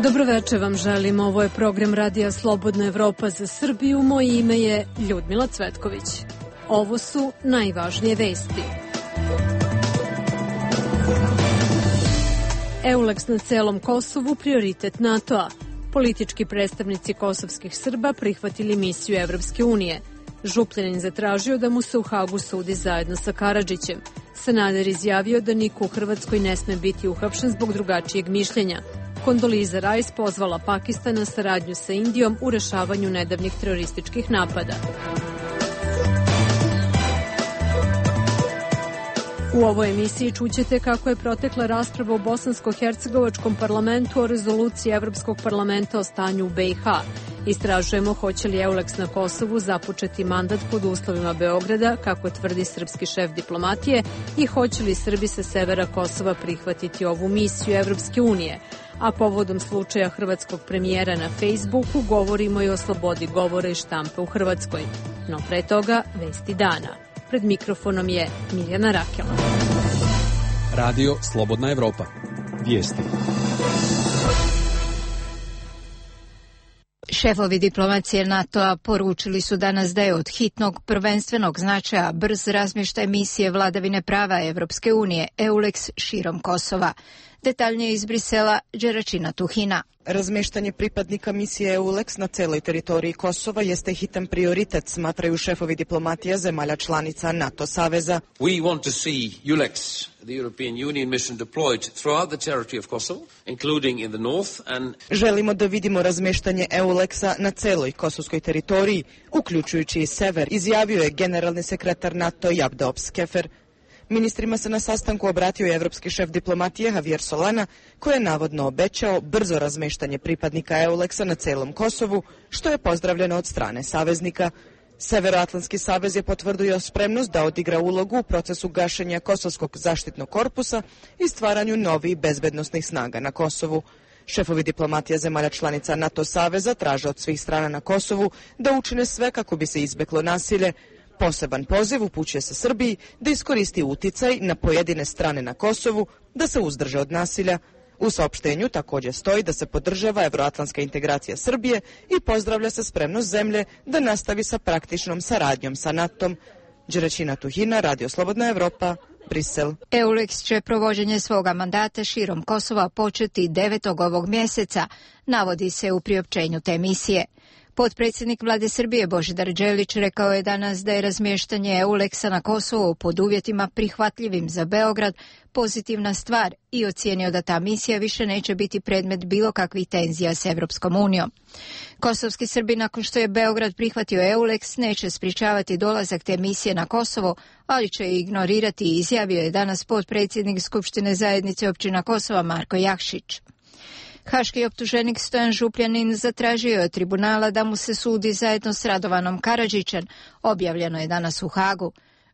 Dobroveče vam želim, ovo je program Radija Slobodna Evropa za Srbiju, moje ime je Ljudmila Cvetković. Ovo su najvažnije vesti. EULEX na celom Kosovu prioritet NATO-a. Politički predstavnici kosovskih Srba prihvatili misiju Evropske unije. Župljanin zatražio da mu se u Hagu sudi zajedno sa Karadžićem. Sanader izjavio da niko u Hrvatskoj ne sme biti uhapšen zbog drugačijeg mišljenja. Kondoliza Rice pozvala Pakistan na saradnju sa Indijom u rešavanju nedavnih terorističkih napada. U ovoj emisiji čućete kako je protekla rasprava u bosansko-hercegovačkom parlamentu o rezoluciji Evropskog parlamenta o stanju u BiH. Istražujemo hoće li EULEX na Kosovu započeti mandat pod uslovima Beograda, kako tvrdi srpski šef diplomatije, i hoće li Srbi sa severa Kosova prihvatiti ovu misiju Evropske unije. A povodom slučaja hrvatskog premijera na Facebooku govorimo i o slobodi govora i štampe u Hrvatskoj. No pre toga, vesti dana. Pred mikrofonom je Mirjana Rakela. Radio Slobodna Evropa. Vijesti. Šefovi diplomacije NATO-a poručili su danas da je od hitnog prvenstvenog značaja brz razmještaj misije vladavine prava Evropske unije EULEX širom Kosova. Detaljnije iz Brisela, Đeračina Tuhina. Razmještanje pripadnika misije EULEX na celoj teritoriji Kosova jeste hitan prioritet, smatraju šefovi diplomatija zemalja članica NATO saveza. We want to see EULEX, the European Union mission, deployed throughout the territory of Kosovo, including in the north and... Želimo da vidimo razmještanje EULEX-a na celoj kosovskoj teritoriji, uključujući i sever, izjavio je generalni sekretar NATO Jabdo Skefer. Ministrima se na sastanku obratio i evropski šef diplomatije Javier Solana, koji je navodno obećao brzo razmeštanje pripadnika EULEX-a na celom Kosovu, što je pozdravljeno od strane saveznika. Severoatlantski savez je potvrdio spremnost da odigra ulogu u procesu gašenja Kosovskog zaštitnog korpusa i stvaranju novih bezbednosnih snaga na Kosovu. Šefovi diplomatija zemalja članica NATO saveza traže od svih strana na Kosovu da učine sve kako bi se izbeglo nasilje. Poseban poziv upućuje se Srbiji da iskoristi uticaj na pojedine strane na Kosovu, da se uzdrže od nasilja. U saopštenju također stoji da se podržava evroatlantska integracija Srbije i pozdravlja se spremnost zemlje da nastavi sa praktičnom saradnjom sa NATO-om. Đeračina Tuhina, Radio Slobodna Evropa, Brisel. EULEX će provođenje svoga mandata širom Kosova početi 9. ovog mjeseca, navodi se u priopćenju te misije. Potpredsjednik vlade Srbije Božidar Đelić rekao je danas da je razmještanje EULEX-a na Kosovu pod uvjetima prihvatljivim za Beograd pozitivna stvar i ocijenio da ta misija više neće biti predmet bilo kakvih tenzija s Evropskom unijom. Kosovski Srbi, nakon što je Beograd prihvatio EULEX, neće sprječavati dolazak te misije na Kosovo, ali će je ignorirati, izjavio je danas potpredsjednik Skupštine zajednice općina Kosova Marko Jakšić. Haški optuženik Stojan Župljanin zatražio je od tribunala da mu se sudi zajedno s Radovanom Karadžićem, objavljeno je danas u Hagu.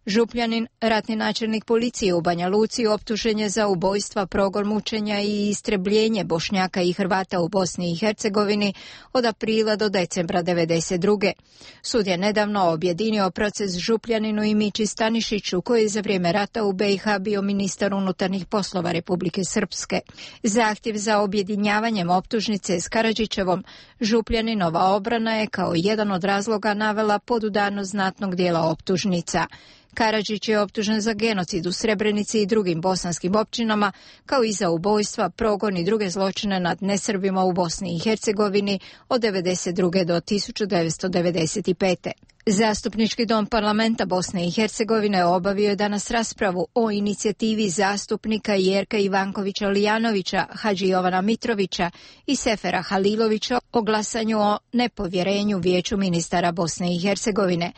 Župljanin, ratni načelnik policije u Banja Luci, optužen je za ubojstva, progon, mučenja i istrebljenje Bošnjaka i Hrvata u Bosni i Hercegovini od aprila do decembra 1992. Sud je nedavno objedinio proces Župljaninu i Mići Stanišiću, koji je za vrijeme rata u BiH bio ministar unutarnjih poslova Republike Srpske. Zahtjev za objedinjavanjem optužnice s Karadžićevom, Župljaninova obrana je kao jedan od razloga navela podudarnost znatnog dijela optužnica. Karadžić je optužen za genocid u Srebrenici i drugim bosanskim općinama, kao i za ubojstva, progon i druge zločine nad nesrbima u Bosni i Hercegovini od 1992. do 1995. Zastupnički dom parlamenta Bosne i Hercegovine obavio je danas raspravu o inicijativi zastupnika Jerka Ivankovića Lijanovića, Hadži Jovana Mitrovića i Sefera Halilovića o glasanju o nepovjerenju Vijeću ministara Bosne i Hercegovine.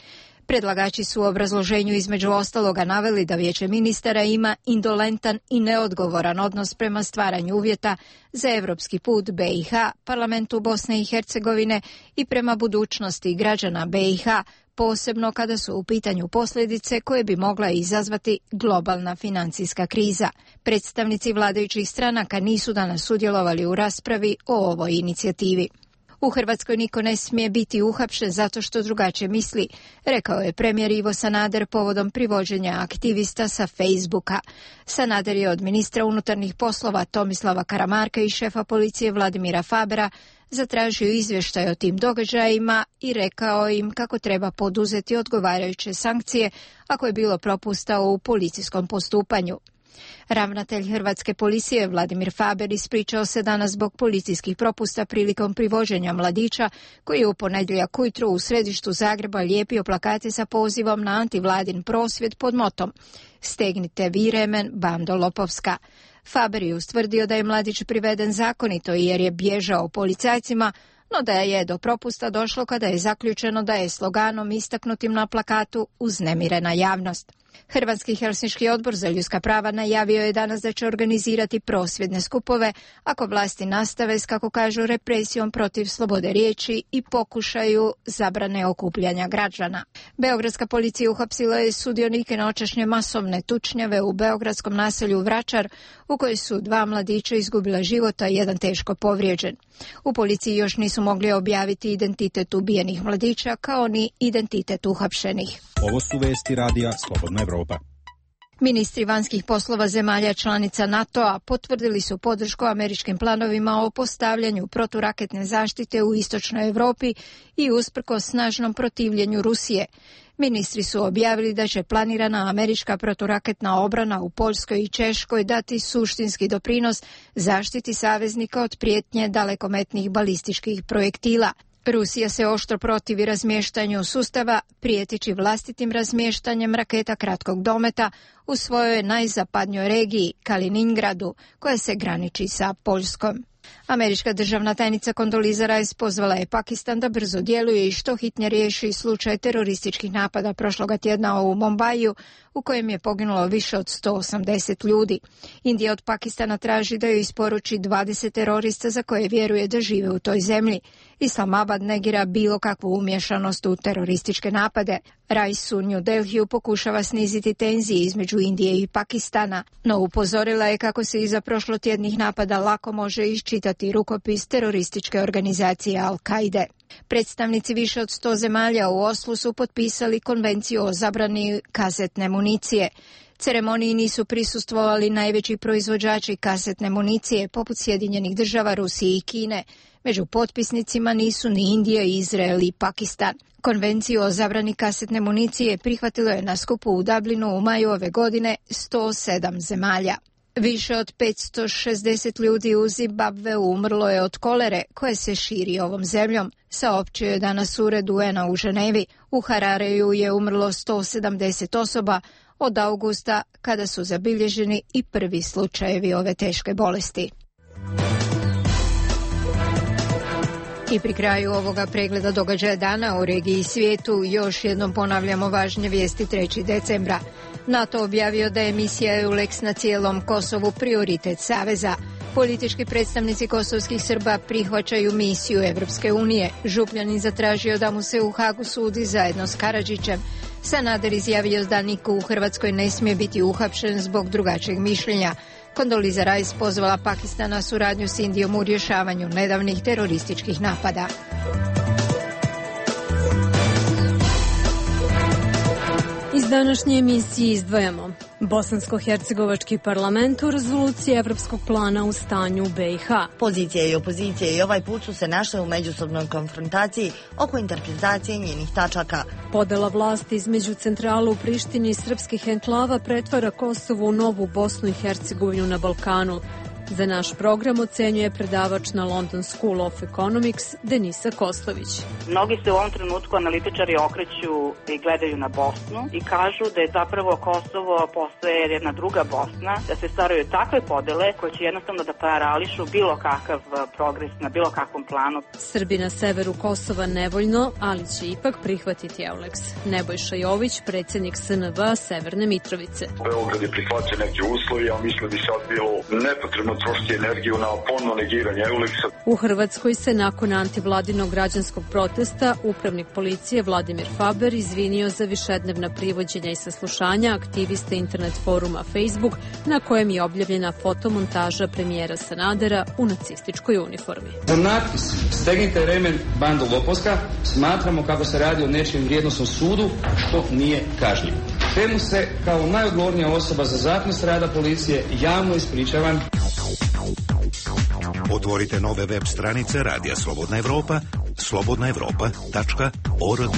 Predlagači su u obrazloženju između ostaloga naveli da Vijeće ministara ima indolentan i neodgovoran odnos prema stvaranju uvjeta za evropski put BiH, parlamentu Bosne i Hercegovine i prema budućnosti građana BiH, posebno kada su u pitanju posljedice koje bi mogla izazvati globalna financijska kriza. Predstavnici vladajućih stranaka nisu danas sudjelovali u raspravi o ovoj inicijativi. U Hrvatskoj niko ne smije biti uhapšen zato što drugačije misli, rekao je premijer Ivo Sanader povodom privođenja aktivista sa Facebooka. Sanader je od ministra unutarnjih poslova Tomislava Karamarka i šefa policije Vladimira Fabera zatražio izvještaj o tim događajima i rekao im kako treba poduzeti odgovarajuće sankcije ako je bilo propusta u policijskom postupanju. Ravnatelj Hrvatske policije Vladimir Faber ispričao se danas zbog policijskih propusta prilikom privođenja mladića koji je u ponedjeljak ujutro u središtu Zagreba lijepio plakate sa pozivom na antivladin prosvjed pod motom "Stegnite vi remen, bando lopovska". Faber je ustvrdio da je mladić priveden zakonito jer je bježao policajcima, no da je do propusta došlo kada je zaključeno da je sloganom istaknutim na plakatu uznemirena javnost. Hrvatski Helsinški odbor za ljudska prava najavio je danas da će organizirati prosvjedne skupove ako vlasti nastave s, kako kažu, represijom protiv slobode riječi i pokušaju zabrane okupljanja građana. Beogradska policija uhapsila je sudionike noćašnje masovne tučnjave u beogradskom naselju Vračar, u kojoj su 2 mladića izgubila život, a 1 teško povrijeđen. U policiji još nisu mogli objaviti identitet ubijenih mladića kao ni identitet uhapšenih. Ovo su vesti radija Slobodna Evropa. Ministri vanjskih poslova zemalja članica NATO-a potvrdili su podršku američkim planovima o postavljanju proturaketne zaštite u istočnoj Europi i usprkos snažnom protivljenju Rusije. Ministri su objavili da će planirana američka proturaketna obrana u Poljskoj i Češkoj dati suštinski doprinos zaštiti saveznika od prijetnje dalekometnih balističkih projektila. Rusija se oštro protivi razmještanju sustava, prijeteći vlastitim razmještanjem raketa kratkog dometa u svojoj najzapadnjoj regiji, Kaliningradu, koja se graniči sa Poljskom. Američka državna tajnica Condoleezza Rice pozvala je Pakistan da brzo djeluje i što hitnije riješi slučaj terorističkih napada prošloga tjedna u Mombaiju, u kojem je poginulo više od 180 ljudi. Indija od Pakistana traži da joj isporuči 20 terorista za koje vjeruje da žive u toj zemlji. Islamabad negira bilo kakvu umješanost u terorističke napade. Rice u New Delhiju pokušava sniziti tenzije između Indije i Pakistana, no upozorila je kako se iza prošlotjednih napada lako može iščitati rukopis terorističke organizacije Al-Kaide. Predstavnici više od 100 zemalja u Oslu su potpisali konvenciju o zabrani kazetne municije. Ceremoniji nisu prisustvovali najveći proizvođači kasetne municije poput Sjedinjenih Država, Rusije i Kine. Među potpisnicima nisu ni Indija, Izrael i Pakistan. Konvenciju o zabrani kasetne municije prihvatilo je na skupu u Dublinu u maju ove godine 107 zemalja. Više od 560 ljudi u Zimbabveu umrlo je od kolere koje se širi ovom zemljom, saopćio je danas ured UN-a u Ženevi. U Harareju je umrlo 170 osoba od augusta, kada su zabilježeni i prvi slučajevi ove teške bolesti. I pri kraju ovoga pregleda događaja dana u regiji i svijetu još jednom ponavljamo važne vijesti 3. decembra. NATO objavio da je misija EULEX na cijelom Kosovu prioritet saveza. Politički predstavnici kosovskih Srba prihvaćaju misiju Evropske unije. Župljanin zatražio da mu se u Hagu sudi zajedno s Karadžićem. Sanader izjavio da niko u Hrvatskoj ne smije biti uhapšen zbog drugačijeg mišljenja. Condoleezza Rice pozvala Pakistan na suradnju s Indijom u rješavanju nedavnih terorističkih napada. Iz današnje emisije izdvajamo Bosansko-hercegovački parlament u rezoluciji Evropskog plana u stanju u BiH. Pozicija i opozicija i ovaj put su se našle u međusobnoj konfrontaciji oko interpretacije njenih tačaka. Podela vlasti između centrala u Prištini i srpskih enklava pretvara Kosovo u novu Bosnu i Hercegovinu na Balkanu. Za naš program ocenjuje predavač na London School of Economics Denisa Koslović. Mnogi se u ovom trenutku analitičari okreću i gledaju na Bosnu i kažu da je zapravo Kosovo postaje jedna druga Bosna, da se stvaraju takve podele koje će jednostavno da parališu bilo kakav progres na bilo kakvom planu. Srbi na severu Kosova nevoljno, ali će ipak prihvatiti EULEX. Nebojša Jović, predsjednik SNV Severne Mitrovice. Beograd je prihvatio neke uslovi, a mislim da bi sad bilo nepotrebno trošiti energiju na ponovno negiranje EULEX-a. U Hrvatskoj se nakon antivladinog građanskog protesta upravnik policije Vladimir Faber izvinio za višednevna privođenja i saslušanja aktiviste internet foruma Facebook na kojem je objavljena fotomontaža premijera Sanadera u nacističkoj uniformi. Za natpis "Stegnite remen, bando lopovska" smatramo kako se radi o nečijem vrijednosnom sudu, što nije kažnjivo. Temu se kao najodgovornija osoba za zakonitost rada policije javno ispričavam. Otvorite nove web stranice Radija Slobodna Evropa, slobodnaevropa.org.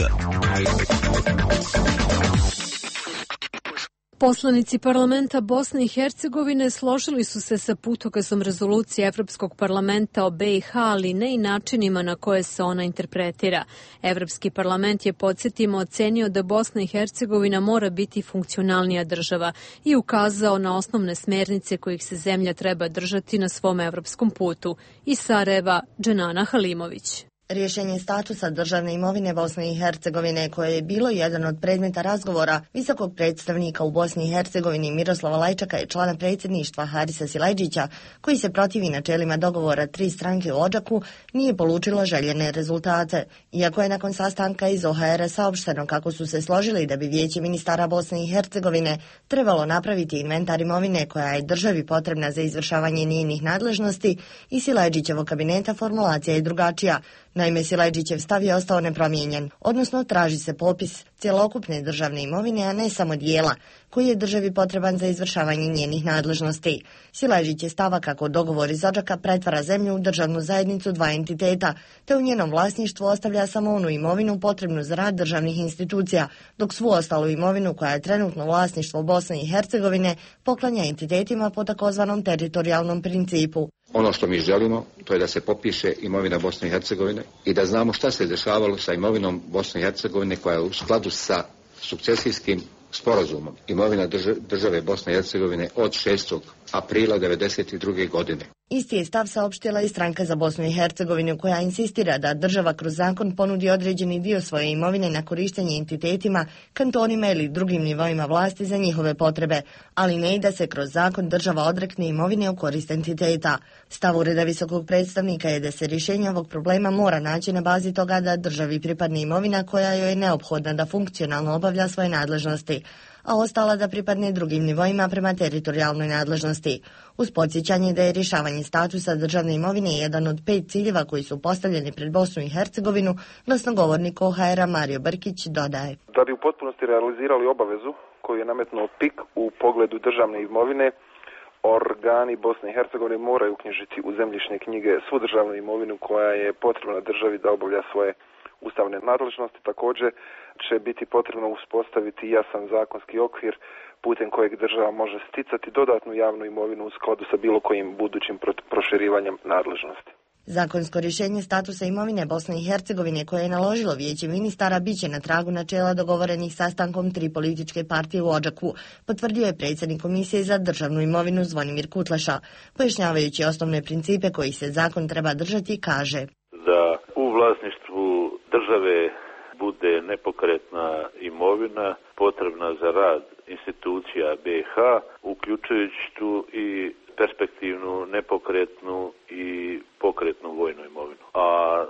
Poslanici parlamenta Bosne i Hercegovine složili su se sa putokazom rezolucije Evropskog parlamenta o BiH, ali ne i načinima na koje se ona interpretira. Evropski parlament je, podsjetimo, ocenio da Bosna i Hercegovina mora biti funkcionalnija država i ukazao na osnovne smernice kojih se zemlja treba držati na svom evropskom putu. Iz Sarajeva, Dženana Halimović. Rješenje statusa državne imovine Bosne i Hercegovine, koje je bilo jedan od predmeta razgovora visokog predstavnika u Bosni i Hercegovini Miroslava Lajčaka i člana predsjedništva Harisa Silajdžića, koji se protivi načelima dogovora 3 stranke u Odžaku, nije polučilo željene rezultate. Iako je nakon sastanka iz OHR saopšteno kako su se složili da bi Vijeće ministara Bosne i Hercegovine trebalo napraviti inventar imovine koja je državi potrebna za izvršavanje njenih nadležnosti, i Silajdžićevog kabineta formulacija je drugačija. Naime, Silajdžićev stav je ostao nepromijenjen, odnosno traži se popis cjelokupne državne imovine, a ne samo dijela, koji je državi potreban za izvršavanje njenih nadležnosti. Silajdžić je stava kako dogovor iz Odžaka pretvara zemlju u državnu zajednicu 2 entiteta, te u njenom vlasništvu ostavlja samo onu imovinu potrebnu za rad državnih institucija, dok svu ostalu imovinu koja je trenutno vlasništvo Bosne i Hercegovine poklanja entitetima po takozvanom teritorijalnom principu. Ono što mi želimo, to je da se popiše imovina Bosne i Hercegovine i da znamo šta se dešavalo sa imovinom Bosne i Hercegovine koja je u skladu sa sukcesijskim sporazumom. Imovina države Bosne i Hercegovine od 6. aprila 1992. godine. Isti je stav saopštila i Stranka za Bosnu i Hercegovinu, koja insistira da država kroz zakon ponudi određeni dio svoje imovine na korištenje entitetima, kantonima ili drugim nivoima vlasti za njihove potrebe, ali ne i da se kroz zakon država odrekne imovine u korist entiteta. Stav Ureda visokog predstavnika je da se rješenje ovog problema mora naći na bazi toga da državi pripadne imovina koja joj je neophodna da funkcionalno obavlja svoje nadležnosti, a ostala da pripadne drugim nivoima prema teritorijalnoj nadležnosti. Uz podsjećanje da je rješavanje statusa državne imovine jedan od 5 ciljeva koji su postavljeni pred Bosnu i Hercegovinu, glasnogovornik OHR-a Mario Brkić dodaje. Da bi u potpunosti realizirali obavezu koju je nametnuo PIK u pogledu državne imovine, organi Bosne i Hercegovine moraju uknjižiti u zemljišne knjige svu državnu imovinu koja je potrebna državi da obavlja svoje ustavne nadležnosti. Također će biti potrebno uspostaviti jasan zakonski okvir putem kojeg država može sticati dodatnu javnu imovinu u skladu sa bilo kojim budućim proširivanjem nadležnosti. Zakonsko rješenje statusa imovine Bosne i Hercegovine koje je naložilo Vijeće ministara biće na tragu načela dogovorenih sastankom 3 političke partije u Odžaku, potvrdio je predsjednik Komisije za državnu imovinu Zvonimir Kutleša. Pojašnjavajući osnovne principe koji se zakon treba držati, kaže: da u vlasništvu države bude nepokretna imovina potrebna za rad institucija BiH, uključujući tu i perspektivnu, nepokretnu i pokretnu vojnu imovinu. A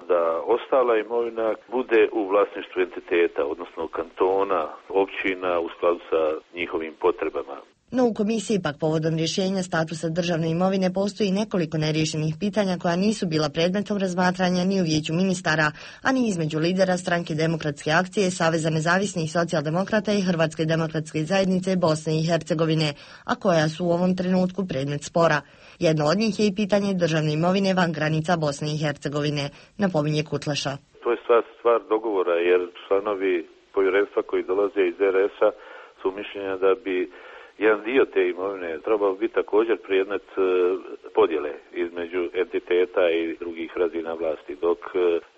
da ostala imovina bude u vlasništvu entiteta, odnosno kantona, općina u skladu sa njihovim potrebama. No u komisiji pak povodom rješenja statusa državne imovine postoji nekoliko neriješenih pitanja koja nisu bila predmetom razmatranja ni u Vijeću ministara, a ni između lidera Stranke demokratske akcije, Saveza nezavisnih socijaldemokrata i Hrvatske demokratske zajednice Bosne i Hercegovine, a koja su u ovom trenutku predmet spora. Jedno od njih je i pitanje državne imovine van granica Bosne i Hercegovine, napominje Kutleša. To je stvar dogovora, jer članovi povjerenstva koji dolaze iz RS-a su mišljenja da bi jedan dio te imovine trebao biti također predmet podjele između entiteta i drugih razina vlasti, dok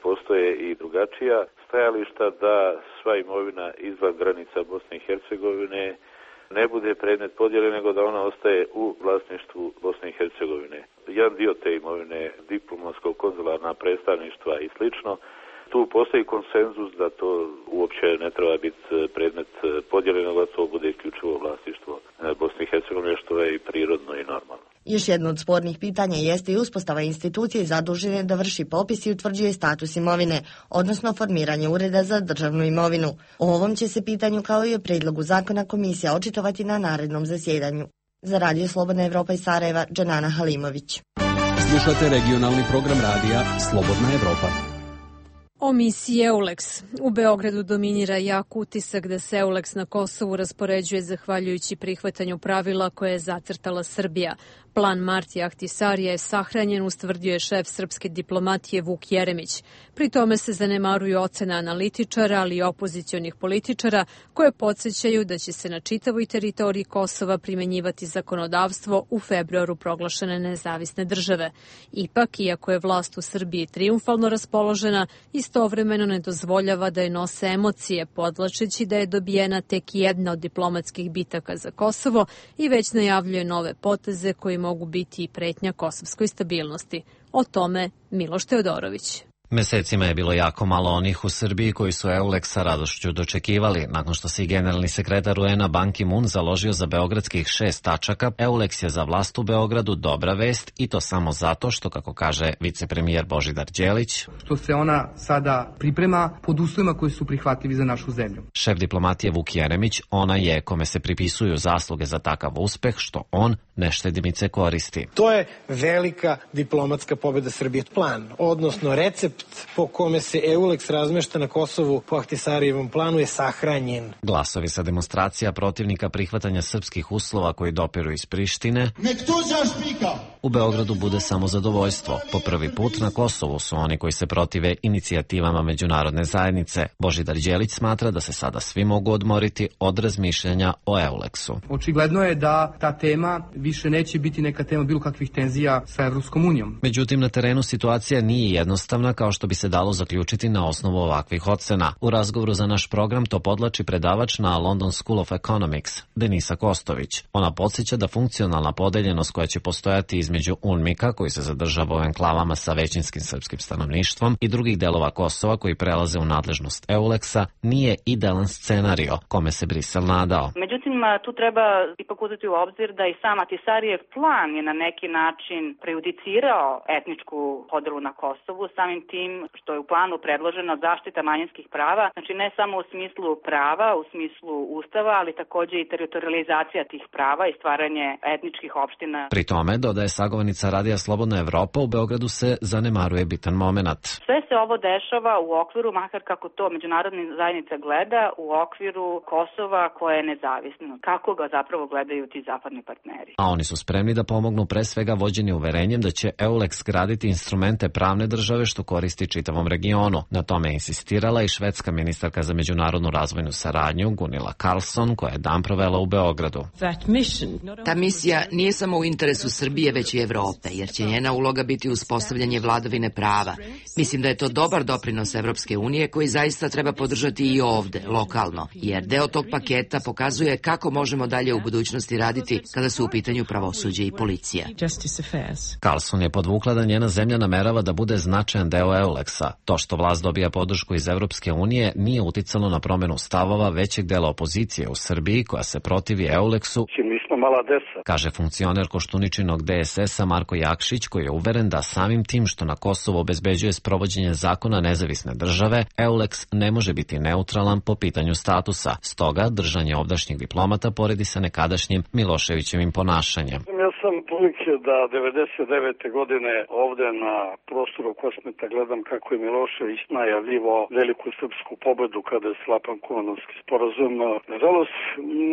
postoje i drugačija stajališta da sva imovina izvan granica Bosne i Hercegovine ne bude predmet podjele, nego da ona ostaje u vlasništvu Bosne i Hercegovine. Jedan dio te imovine, diplomatsko-konzularna predstavništva i slično, tu postoji konsenzus da to uopće ne treba biti predmet podjele, nego da to bude isključivo vlasništvo Bosne i Hercegovine, što je i prirodno i normalno. Još jedno od spornih pitanja jeste i uspostava institucije zadužene da vrši popis i utvrđuje status imovine, odnosno formiranje ureda za državnu imovinu. O ovom će se pitanju kao i o predlogu zakona komisija očitovati na narednom zasjedanju. Za Radio Slobodna Evropa iz Sarajeva, Džanana Halimović. Slušate regionalni program radija Slobodna Evropa. O misiji EULEX. U Beogradu dominira jak utisak da se EULEX na Kosovu raspoređuje zahvaljujući prihvatanju pravila koje je zacrtala Srbija. Plan Martija Ahtisarija je sahranjen, ustvrdio je šef srpske diplomatije Vuk Jeremić. Pri tome se zanemaruju ocena analitičara, ali i opozicionih političara, koje podsjećaju da će se na čitavoj teritoriji Kosova primenjivati zakonodavstvo u februaru proglašene nezavisne države. Ipak, iako je vlast u Srbiji triumfalno raspoložena, istovremeno ne dozvoljava da je nose emocije, podvlačeći da je dobijena tek jedna od diplomatskih bitaka za Kosovo i već najavljuje nove poteze koji mogu biti i pretnja kosovskoj stabilnosti. O tome Miloš Teodorović. Mesecima je bilo jako malo onih u Srbiji koji su EULEX sa radošću dočekivali. Nakon što se i generalni sekretar UN-a Ban Ki-moon založio za beogradskih 6 tačaka, EULEX je za vlast u Beogradu dobra vest i to samo zato što, kako kaže vicepremijer Božidar Đelić, što se ona sada priprema pod uslovima koji su prihvatljivi za našu zemlju. Šef diplomatije Vuk Jeremić, ona je kome se pripisuju zasluge za takav uspeh, što on neštedimice koristi. To je velika diplomatska pobjeda Srbije. Plan, odnosno recept po kome se EULEX razmešta na Kosovu po Ahtisarijevom planu je sahranjen. Glasovi sa demonstracija protivnika prihvatanja srpskih uslova koji dopiru iz Prištine u Beogradu bude samo zadovoljstvo. Po prvi put na Kosovu su oni koji se protive inicijativama međunarodne zajednice. Božidar Đelić smatra da se sada svi mogu odmoriti od razmišljanja o EULEX-u. Očigledno je da ta tema više neće biti neka tema bilo kakvih tenzija sa Evropskom unijom. Međutim, na terenu situacija nije jednostavna kao što bi se dalo zaključiti na osnovu ovakvih ocena. U razgovoru za naš program to podlači predavač na London School of Economics, Denisa Kostović. Ona podsjeća da funkcionalna podeljenost koja će postojati između UNMIK-a, koji se zadržava u enklavama sa većinskim srpskim stanovništvom, i drugih delova Kosova koji prelaze u nadležnost EULEX-a, nije idealan scenario kome se Brisel nadao. Međutim, tu treba ipak uzeti u obzir da i sam Ahtisarijev plan je na neki način prejudicirao etničku podelu na Kosovu, samim tim što je u planu predložena zaštita manjinskih prava, znači ne samo u smislu prava, u smislu ustava, ali takođe i teritorializacija tih prava i stvaranje etničkih opština. Pri tome, dodaje sagovornica Radija Slobodna Evropa, u Beogradu se zanemaruje bitan momenat. Sve se ovo dešava u okviru, makar kako to međunarodna zajednica gleda, u okviru Kosova koje je nezavisno. Kako ga zapravo gledaju ti zapadni partneri? A oni su spremni da pomognu pre svega vođeni uverenjem da će EULEX graditi instrumente pravne države što koristi čitavom regionu. Na tome je insistirala i švedska ministarka za međunarodnu razvojnu saradnju Gunilla Carlsson, koja je dan provela u Beogradu. Ta misija nije samo u interesu Srbije, već i Evrope, jer će njena uloga biti uspostavljanje vladavine prava. Mislim da je to dobar doprinos Evropske unije koji zaista treba podržati i ovde, lokalno, jer deo tog paketa pokazuje kako možemo dalje u budućnosti raditi kada su u pitanju pravosuđe i policija. Carlsson je podvukla da njena zemlja namerava da bude značajan deo EULEX-a. To što vlast dobija podršku iz Evropske unije nije uticalo na promenu stavova većeg dela opozicije u Srbiji koja se protivi EULEX-u, kaže funkcioner Koštuničinog DSS-a Marko Jakšić, koji je uveren da samim tim što na Kosovo obezbeđuje sprovođenje zakona nezavisne države, EULEX ne može biti neutralan po pitanju statusa. Stoga, držanje ovdašnjih diplomata poredi sa nekadašnjim Miloševićevim ponašanjem. Ja sam prilike da 99. godine ovde na prostoru Kosmeta gledam kako je Milošević najavljivao veliku srpsku pobedu kada je sklapan Kumanovski sporazum. Nažalost,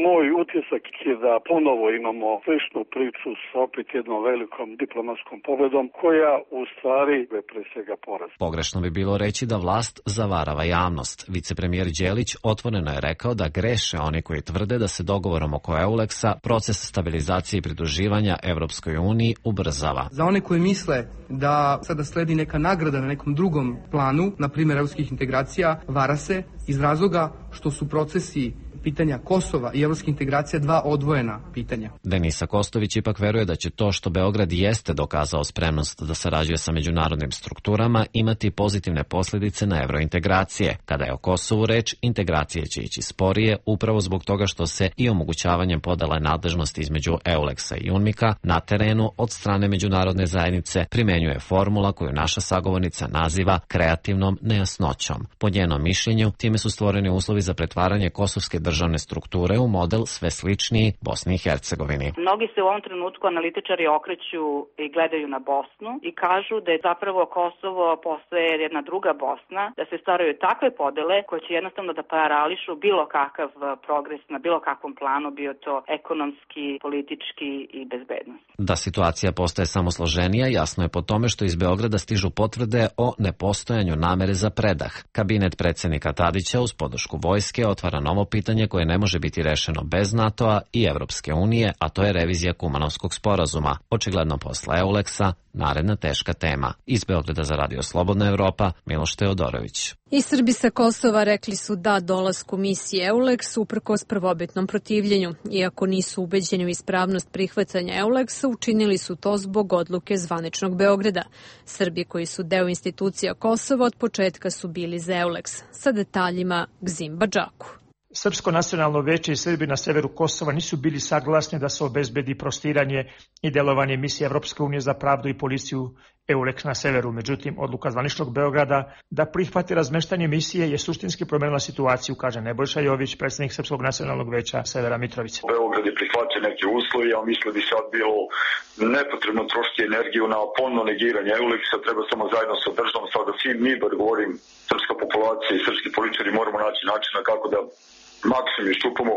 moj utisak je da ponovo imamo sličnu priču sa opet jednom velikom diplomatskom pobedom koja u stvari je pre svega poraz. Pogrešno bi bilo reći da vlast zavarava javnost. Vicepremijer Đelić otvoreno je rekao da greše oni koji tvrde da se dogovorom oko EULEX-a proces stabilizacije i pridruživanja Evropskoj uniji ubrzava. Za one koji misle da sada sledi neka nagrada na nekom drugom planu, na primjer evropskih integracija, vara se iz razloga što su procesi pitanja Kosova i evropske integracije dva odvojena pitanja. Denisa Kostović ipak veruje da će to što Beograd jeste dokazao spremnost da sarađuje sa međunarodnim strukturama imati pozitivne posljedice na evrointegracije. Kada je o Kosovu reč, integracije će ići sporije upravo zbog toga što se i omogućavanjem podele nadležnosti između EULEX-a i UNMIK-a na terenu od strane međunarodne zajednice primenjuje formula koju naša sagovornica naziva kreativnom nejasnoćom. Po njenom mišljenju, time su stvoreni uslovi za pretvaranje kosovske državne strukture u model sve sličniji Bosni i Hercegovini. Mnogi se u ovom trenutku analitičari okreću i gledaju na Bosnu i kažu da je zapravo Kosovo postaje jedna druga Bosna, da se stvaraju takve podele koje će jednostavno da parališu bilo kakav progres na bilo kakvom planu, bio to ekonomski, politički i bezbednost. Da situacija postaje samo složenija, jasno je po tome što iz Beograda stižu potvrde o nepostojanju namere za predah. Kabinet predsjednika Tadića uz podršku vojske otvara novo pitanje koje ne može biti rešeno bez NATO-a i Evropske unije, a to je revizija Kumanovskog sporazuma. Očigledno posle EULEX-a naredna teška tema. Iz Beograda za Radio Slobodna Evropa, Miloš Teodorović. I Srbi sa Kosova rekli su da dolasku misije EULEX uprkos prvobitnom protivljenju. Iako nisu ubeđeni u ispravnost prihvatanja EULEX-a, učinili su to zbog odluke zvaničnog Beograda. Srbi koji su deo institucija Kosova od početka su bili za EULEX. Sa detaljima Gzim Badžaku. Srpsko nacionalno veće i Srbi na severu Kosova nisu bili saglasni da se obezbedi prostiranje i delovanje misije Evropske unije za pravdu i policiju EULEX na severu. Međutim, odluka zvaničnog Beograda da prihvati razmeštanje misije je suštinski promenila situaciju, kaže Nebojša Jović, predsjednik Srpskog nacionalnog veća Severa Mitrovice. Beograd je prihvatio neke uslovi, a mislim bi sad bilo nepotrebno trošiti energiju na ponovno negiranje EULEX-a, treba samo zajedno sa državom, sada svi mi, bar govorim, srpska populacija i srpski političari moramo naći načina kako da maksimum iščupamo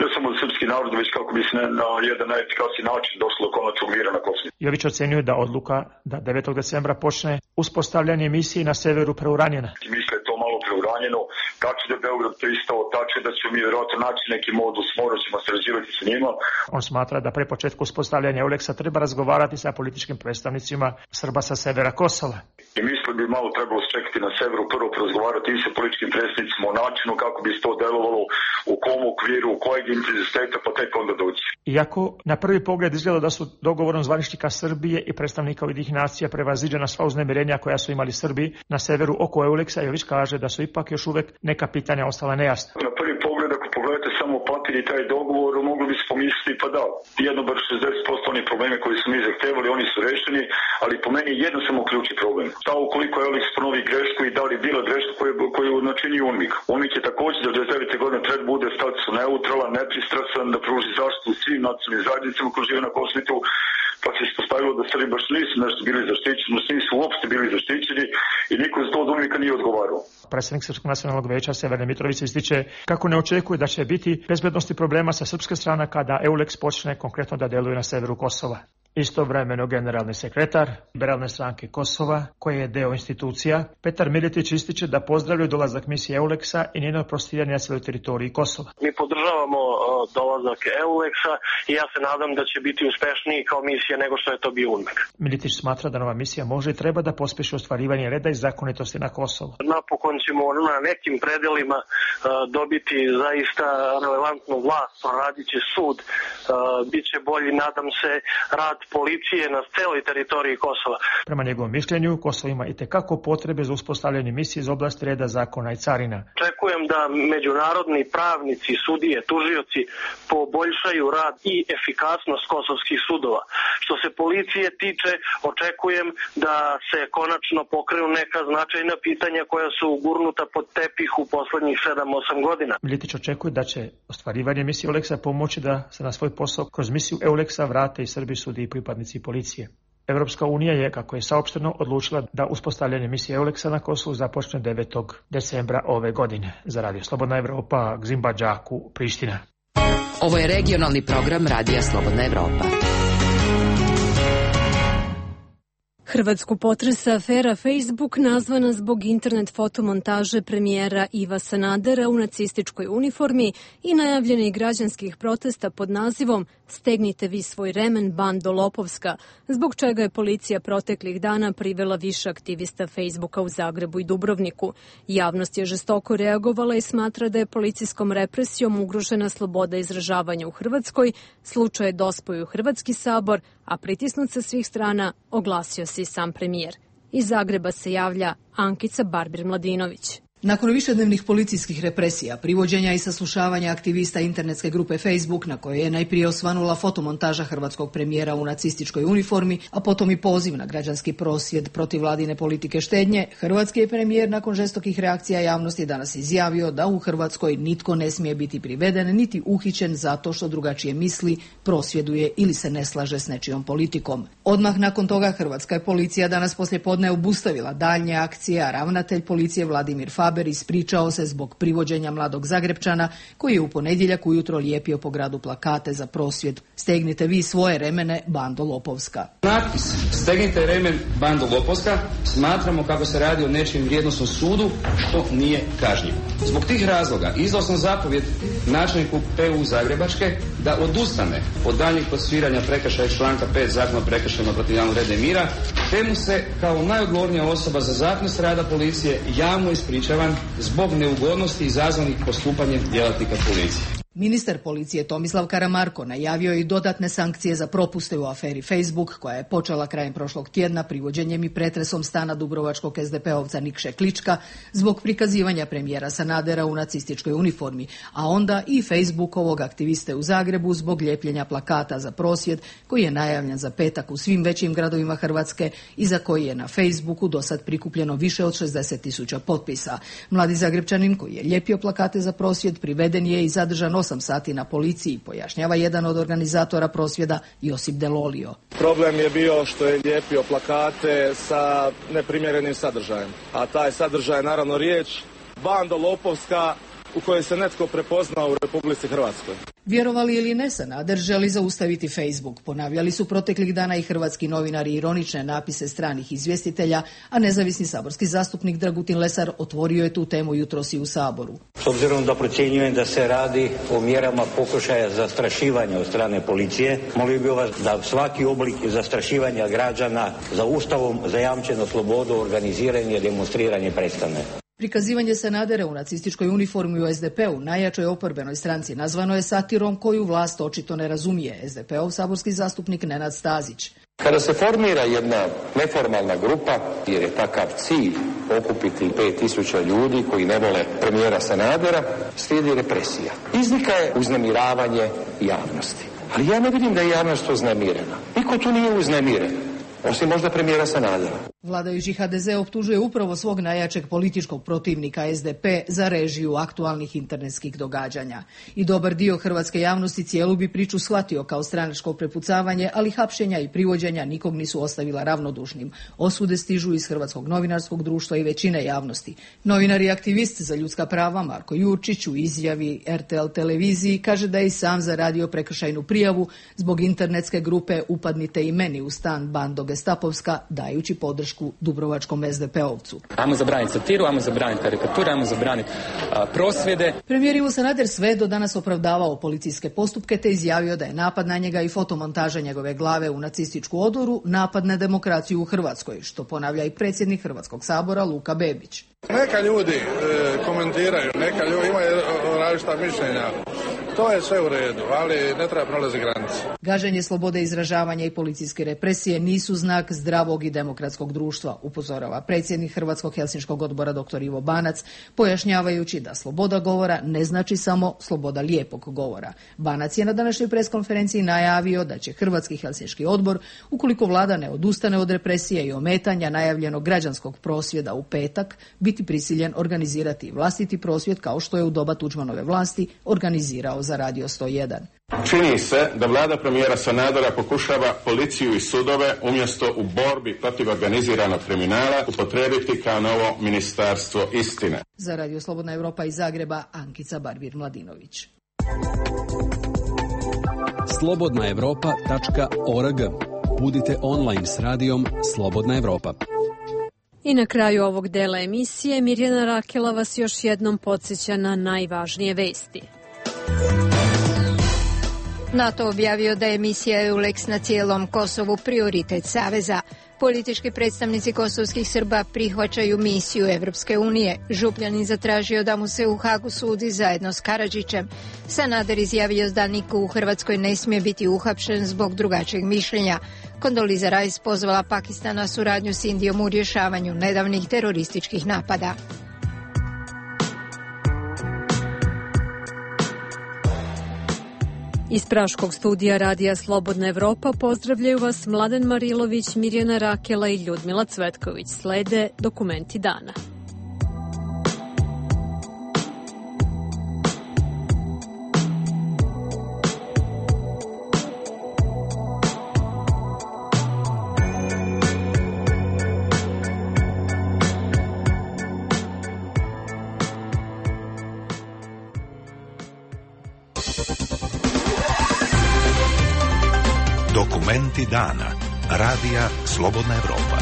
ne samo srpski narod, već kako bi se na jedan najefikasniji način došlo do konačnog mira na Kosovu. Jović ocenjuje da odluka da 9. decembra počne uspostavljanje misije na severu preuranjena. Mislim da je to malo preuranjeno, tačno da je Beograd pristao, tačno da ćemo mi vjerojatno naći neki modus, morat ćemo sarađivati sa njima. On smatra da pre početka uspostavljanja EULEX-a treba razgovarati sa političkim predstavnicima Srba sa severa Kosova. I mislim bi malo trebalo čekati na severu, prvo razgovarati i sa političkim predstavnicima o načinu kako bi se to delovalo, u kom okviru, u kojeg intenziteta, pa tek onda doći. Iako na prvi pogled izgleda da su dogovorom zvaničnika Srbije i predstavnika Ujedinjenih nacija prevaziđena sva uznemirenja koja su imali Srbi na severu oko EULEX-a, Jović kaže da su ipak još uvek neka pitanja ostala nejasna. Na prvi pogled, ako pogledate samo papir i taj dogovor, mogli bi se pomisliti, pa da, jedno bar 60% onih probleme koji su mi zahtevali, oni su rešeni, ali po meni jedno samo ključni problem. Šta ukoliko EULEX ponovi grešku i da li bila greška koju načini UNMIK? UNMIK je također da 99. godine treba bude statusu neutralan, nepristrasan, da pruži zaštitu svim nacionalnim zajednicama koji žive na Kosovu, pa se ispostavilo da Srbi baš nisu nešto bili zaštićeni, nisu uopšte bili zaštićeni i niko za to od UNMIK-a nije odgovarao. Predsjednik Srpskog nacionalnog veća Severne Mitrovice ističe kako ne očekuje da će biti bezbednosti problema sa srpske strane kada EULEX počne konkretno da deluje na severu Kosova. Istovremeno generalni sekretar Liberalne stranke Kosova, koji je deo institucija, Petar Miletić ističe da pozdravljaju dolazak misije EULEX-a i njeno prostiranje na svojoj teritoriji Kosova. Mi podržavamo dolazak EULEX-a i ja se nadam da će biti uspešniji kao misija nego što je to bio UNMIK. Miletić smatra da nova misija može i treba da pospeši ostvarivanje reda i zakonitosti na Kosovu. Napokon ćemo na nekim predelima dobiti zaista relevantnu vlast, proradit će sud, biće bolji, nadam se, rad policije na celoj teritoriji Kosova. Prema njegovom mišljenju, Kosovo ima itekako potrebe za uspostavljanje misije iz oblasti reda, zakona i carina. Očekujem da međunarodni pravnici, sudije, tužioci poboljšaju rad i efikasnost kosovskih sudova. Što se policije tiče, očekujem da se konačno pokrenu neka značajna pitanja koja su gurnuta pod tepih u poslednjih 7-8 godina. Miletić očekuje da će ostvarivanje misije EULEX-a pomoći da se na svoj posao kroz misiju EULEX-a vrate i Srbi, sudi i pripadnici policije. Evropska unija je, kako je saopšteno, odlučila da uspostavljanje misije EULEX-a na Kosovu započne 9. decembra ove godine. Za Radio Slobodna Evropa, Gzim Badžaku, Priština. Ovo je regionalni program Radija Slobodna Evropa. Hrvatsku potresa afera Facebook nazvana zbog internet fotomontaže premijera Iva Sanadera u nacističkoj uniformi i najavljenih građanskih protesta pod nazivom "Stegnite vi svoj remen, bando lopovska", zbog čega je policija proteklih dana privela više aktivista Facebooka u Zagrebu i Dubrovniku. Javnost je žestoko reagovala i smatra da je policijskom represijom ugrožena sloboda izražavanja u Hrvatskoj, slučaj je dospao u Hrvatski sabor, a pritisnut sa svih strana oglasio se i sam premijer. Iz Zagreba se javlja Ankica Barbir-Mladinović. Nakon višednevnih policijskih represija, privođenja i saslušavanja aktivista internetske grupe Facebook, na kojoj je najprije osvanula fotomontaža hrvatskog premijera u nacističkoj uniformi, a potom i poziv na građanski prosvjed protiv vladine politike štednje, hrvatski je premijer nakon žestokih reakcija javnosti danas izjavio da u Hrvatskoj nitko ne smije biti priveden niti uhićen zato što drugačije misli, prosvjeduje ili se ne slaže s nečijom politikom. Odmah nakon toga hrvatska je policija danas poslijepodne obustavila daljnje akcije, a ravnatelj policije Vladimir Faber ispričao se zbog privođenja mladog Zagrepčana koji je u ponedjeljak ujutro lijepio po gradu plakate za prosvjed "Stegnite vi svoje remene, bando lopovska". Natpis "Stegnite remen, bando lopovska" smatramo kako se radi o nečijem vrijednosnom sudu, što nije kažnjivo. Zbog tih razloga izdao sam zapovjed načelniku PU Zagrebačke da odustane od daljnjih procesuiranja prekršaja članka 5 Zakona o prekršajima protiv javnog reda i mira, te mu se kao najodgovornija osoba za zakonitost rada policije javno ispričavam zbog neugodnosti izazvanih postupanjem djelatnika policije. Ministar policije Tomislav Karamarko najavio je i dodatne sankcije za propuste u aferi Facebook, koja je počela krajem prošlog tjedna privođenjem i pretresom stana dubrovačkog SDP-ovca Nikše Klička zbog prikazivanja premijera Sanadera u nacističkoj uniformi, a onda i Facebookovog aktiviste u Zagrebu zbog ljepljenja plakata za prosvjed koji je najavljen za petak u svim većim gradovima Hrvatske i za koji je na Facebooku dosad prikupljeno više od 60.000 potpisa. Mladi Zagrepčanin koji je lijepio plakate za prosvjed priveden je i zadržan 8 sati na policiji, pojašnjava jedan od organizatora prosvjeda Josip Delolio. Problem je bio što je lijepio plakate sa neprimjerenim sadržajem, a taj sadržaj je naravno riječ bando lopovska u kojoj se netko prepoznao u Republici Hrvatskoj. Vjerovali ili ne, Sanader želi zaustaviti Facebook. Ponavljali su proteklih dana i hrvatski novinari ironične napise stranih izvjestitelja, a nezavisni saborski zastupnik Dragutin Lesar otvorio je tu temu jutros i u Saboru. S obzirom da procjenjujem da se radi o mjerama pokušaja zastrašivanja od strane policije, molio bih vas da svaki oblik zastrašivanja građana za Ustavom zajamčenu slobodu, organiziranje i demonstriranje prestane. Prikazivanje Sanadera u nacističkoj uniformi u SDP-u, najjačoj oporbenoj stranci, nazvano je satirom koju vlast očito ne razumije. SDP-ov saborski zastupnik Nenad Stazić. Kada se formira jedna neformalna grupa, jer je takav cilj okupiti 5.000 ljudi koji ne vole premijera Sanadera, slijedi represija. Izlika je uznemiravanje javnosti. Ali ja ne vidim da je javnost uznemirena. Niko tu nije uznemiren, osim možda premijera Sanadera. Vladajući HDZ optužuje upravo svog najjačeg političkog protivnika SDP za režiju aktualnih internetskih događanja. I dobar dio hrvatske javnosti cijelu bi priču shvatio kao stranačko prepucavanje, ali hapšenja i privođenja nikog nisu ostavila ravnodušnim. Osude stižu iz Hrvatskog novinarskog društva i većine javnosti. Novinar i aktivist za ljudska prava Marko Jurčić u izjavi RTL televiziji kaže da je i sam zaradio prekršajnu prijavu zbog internetske grupe "Upadnite i meni u stan, bando gestapovska", dajući podršku dubrovačkom SDP-ovcu. Ajmo zabraniti satiru, ajmo zabraniti karikature, ajmo zabraniti prosvjede. Premijer Ivo Sanader sve do danas opravdavao policijske postupke te izjavio da je napad na njega i fotomontaža njegove glave u nacističku odoru napad na demokraciju u Hrvatskoj, što ponavlja i predsjednik Hrvatskog sabora Luka Bebić. Neka ljudi komentiraju, neka ljudi imaju različita mišljenja. To je sve u redu, ali ne treba prolaziti granice. Gaženje slobode izražavanja i policijske represije nisu znak zdravog i demokratskog društva, upozorava predsjednik Hrvatskog helsinškog odbora dr. Ivo Banac, pojašnjavajući da sloboda govora ne znači samo sloboda lijepog govora. Banac je na današnjoj preskonferenciji najavio da će Hrvatski helsinški odbor, ukoliko vlada ne odustane od represije i ometanja najavljenog građanskog prosvjeda u petak, biti prisiljen organizirati vlastiti prosvjed kao što je u doba Tuđmanove vlasti organizirao za Radio 101. Čini se da vlada premijera Sanadera pokušava policiju i sudove umjesto u borbi protiv organiziranog kriminala upotrijebiti kao novo ministarstvo istine. Za Radio Slobodna Europa iz Zagreba, Ankica Barbir-Mladinović. Slobodnaevropa.org Budite online s radijom Slobodna Evropa. I na kraju ovog dela emisije Mirjana Rakela vas još jednom podsjeća na najvažnije vesti. NATO objavio da je misija EULEX na cijelom Kosovu prioritet Saveza. Politički predstavnici kosovskih Srba prihvaćaju misiju Evropske unije. Župljanin zatražio da mu se u Hagu sudi zajedno s Karadžićem. Sanader izjavio da niko u Hrvatskoj ne smije biti uhapšen zbog drugačijeg mišljenja. Kondoliza Rice pozvala Pakistan na suradnju s Indijom u rješavanju nedavnih terorističkih napada. Iz Praškog studija Radija Slobodna Evropa pozdravljaju vas Mladen Marilović, Mirjana Rakela i Ljudmila Cvetković. Slede dokumenti dana. Dokumenti dana. Radija Slobodna Evropa.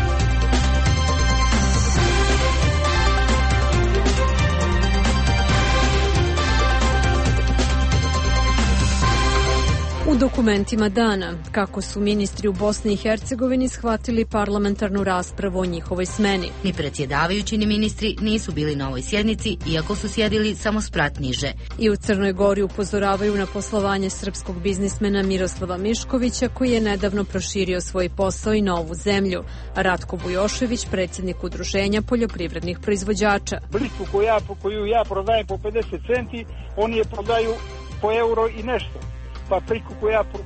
U dokumentima dana, kako su ministri u Bosni i Hercegovini shvatili parlamentarnu raspravu o njihovoj smeni. Ni predsjedavajući ni ministri nisu bili na ovoj sjednici, iako su sjedili samo sprat niže. I u Crnoj Gori upozoravaju na poslovanje srpskog biznismena Miroslava Miškovića, koji je nedavno proširio svoj posao i na ovu zemlju. Ratko Bujošević, predsjednik Udruženja poljoprivrednih proizvođača. Blicu koju ja prodajem po 50 centi, oni je prodaju po euro i nešto. Pa priku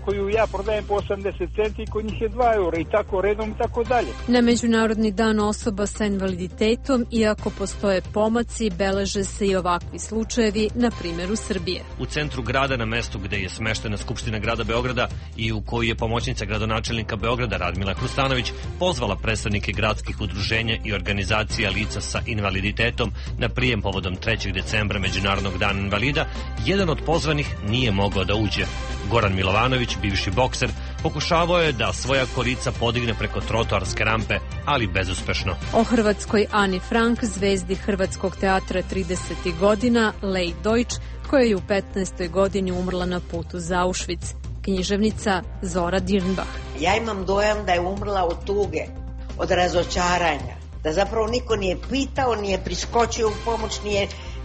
koju ja prodajem po 80 centi, kod njih je 2 eura i tako redom i tako dalje. Na Međunarodni dan osoba sa invaliditetom, iako postoje pomaci, beleže se i ovakvi slučajevi, na primjeru Srbije. U centru grada, na mestu gde je smeštena Skupština grada Beograda i u kojoj je pomoćnica gradonačelnika Beograda Radmila Hrustanović pozvala predstavnike gradskih udruženja i organizacija lica sa invaliditetom na prijem povodom 3. decembra Međunarodnog dana invalida, jedan od pozvanih nije mogao da uđe. Goran Milovanović, bivši bokser, pokušavao je da svoja kolica podigne preko trotoarske rampe, ali bezuspešno. O hrvatskoj Ani Frank, zvezdi Hrvatskog teatra 30. godina, Lej Deutsch, koja je u 15. godini umrla na putu za Auschwitz. Književnica Zora Dirnbach. Ja imam dojam da je umrla od tuge, od razočaranja, da zapravo niko nije pitao, nije priskočio u pomoć,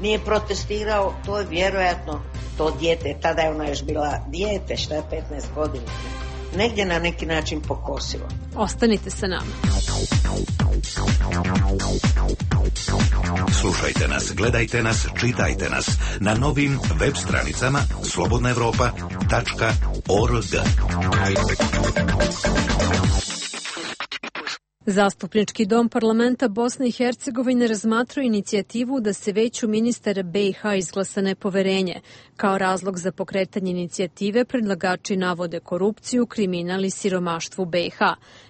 nije protestirao. To je vjerojatno to dijete, tada je ona još bila dijete, šta je 15 godina, negdje na neki način pokosilo. Ostanite sa nama. Slušajte nas, gledajte nas, čitajte nas na novim web stranicama slobodnaevropa.org. Zastupnički dom parlamenta Bosne i Hercegovine razmatrao inicijativu da se veću ministara BiH izglasa nepoverenje. Kao razlog za pokretanje inicijative predlagači navode korupciju, kriminal i siromaštvo BiH.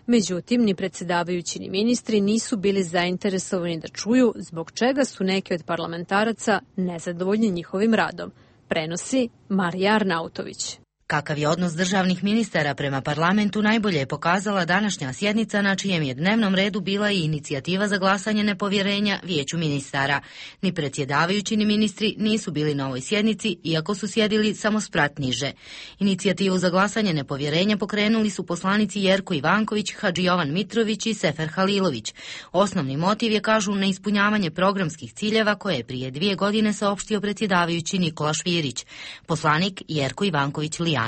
Međutim, ni predsjedavajući ni ministri nisu bili zainteresovani da čuju zbog čega su neki od parlamentaraca nezadovoljni njihovim radom. Prenosi Marija Arnautović. Kakav je odnos državnih ministara prema parlamentu najbolje je pokazala današnja sjednica na čijem je dnevnom redu bila i inicijativa za glasanje nepovjerenja vijeću ministara. Ni predsjedavajući ni ministri nisu bili na ovoj sjednici, iako su sjedili samo sprat niže. Inicijativu za glasanje nepovjerenja pokrenuli su poslanici Jerko Ivanković, Hadži Jovan Mitrović i Sefer Halilović. Osnovni motiv je, kažu, neispunjavanje programskih ciljeva koje je prije 2 godine saopštio predsjedavajući Nikola Švirić. Poslanik Jerko Ivanković Lijanović.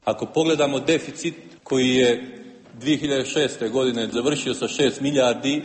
Ako pogledamo deficit koji je 2006. godine završio sa 6 milijardi,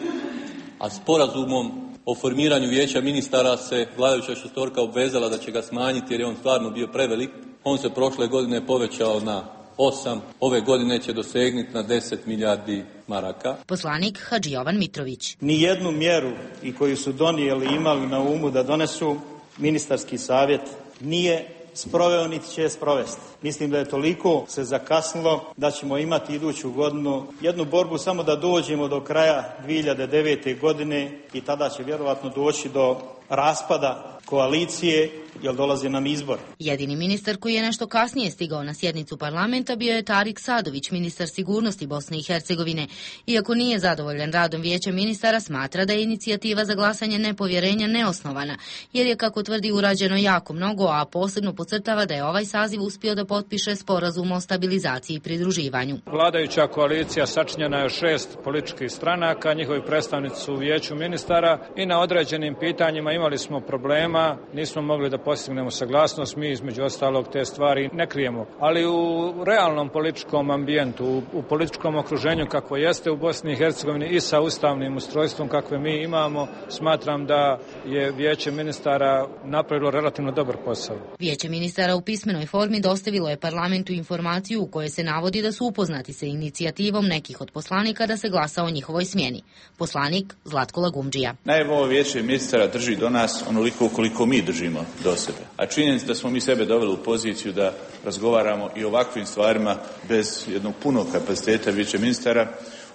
a sporazumom o formiranju vijeća ministara se vladajuća šestorka obvezala da će ga smanjiti jer je on stvarno bio prevelik, on se prošle godine povećao na 8, ove godine će dosegnuti na 10 milijardi maraka. Poslanik Hadži Jovan Mitrović. Nijednu mjeru i koju su donijeli imali na umu da donesu, ministarski savjet nije sproveo niti će sprovesti. Mislim da je toliko se zakasnilo da ćemo imati iduću godinu jednu borbu samo da dođemo do kraja 2009. godine i tada će vjerovatno doći do raspada koalicije jer dolaze nam izbor. Jedini ministar koji je nešto kasnije stigao na sjednicu parlamenta bio je Tarik Sadović, ministar sigurnosti Bosne i Hercegovine. Iako nije zadovoljan radom vijeća ministara, smatra da je inicijativa za glasanje nepovjerenja neosnovana, jer je, kako tvrdi, urađeno jako mnogo, a posebno podcrtava da je ovaj saziv uspio da potpiše sporazum o stabilizaciji i pridruživanju. Vladajuća koalicija sačinjena je 6 političkih stranaka, njihovi predstavnici su u vijeću ministara i na određenim pitanjima imali smo problema, nismo mogli da postignemo saglasnost, mi između ostalog te stvari ne krijemo. Ali u realnom političkom ambijentu, u političkom okruženju kako jeste u Bosni i Hercegovini i sa ustavnim ustrojstvom kakve mi imamo, smatram da je vijeće ministara napravilo relativno dobar posao. Vijeće ministara u pismenoj formi dostavilo je parlamentu informaciju u kojoj se navodi da su upoznati sa inicijativom nekih od poslanika da se glasa o njihovoj smjeni. Poslanik Zlatko Lagumdžija. Naime, ovo vijeće ministara drži do nas onoliko koliko mi držimo do sebe. A činjenica da smo mi sebe doveli u poziciju da razgovaramo i o ovakvim stvarima bez jednog punog kapaciteta vijeća ministara,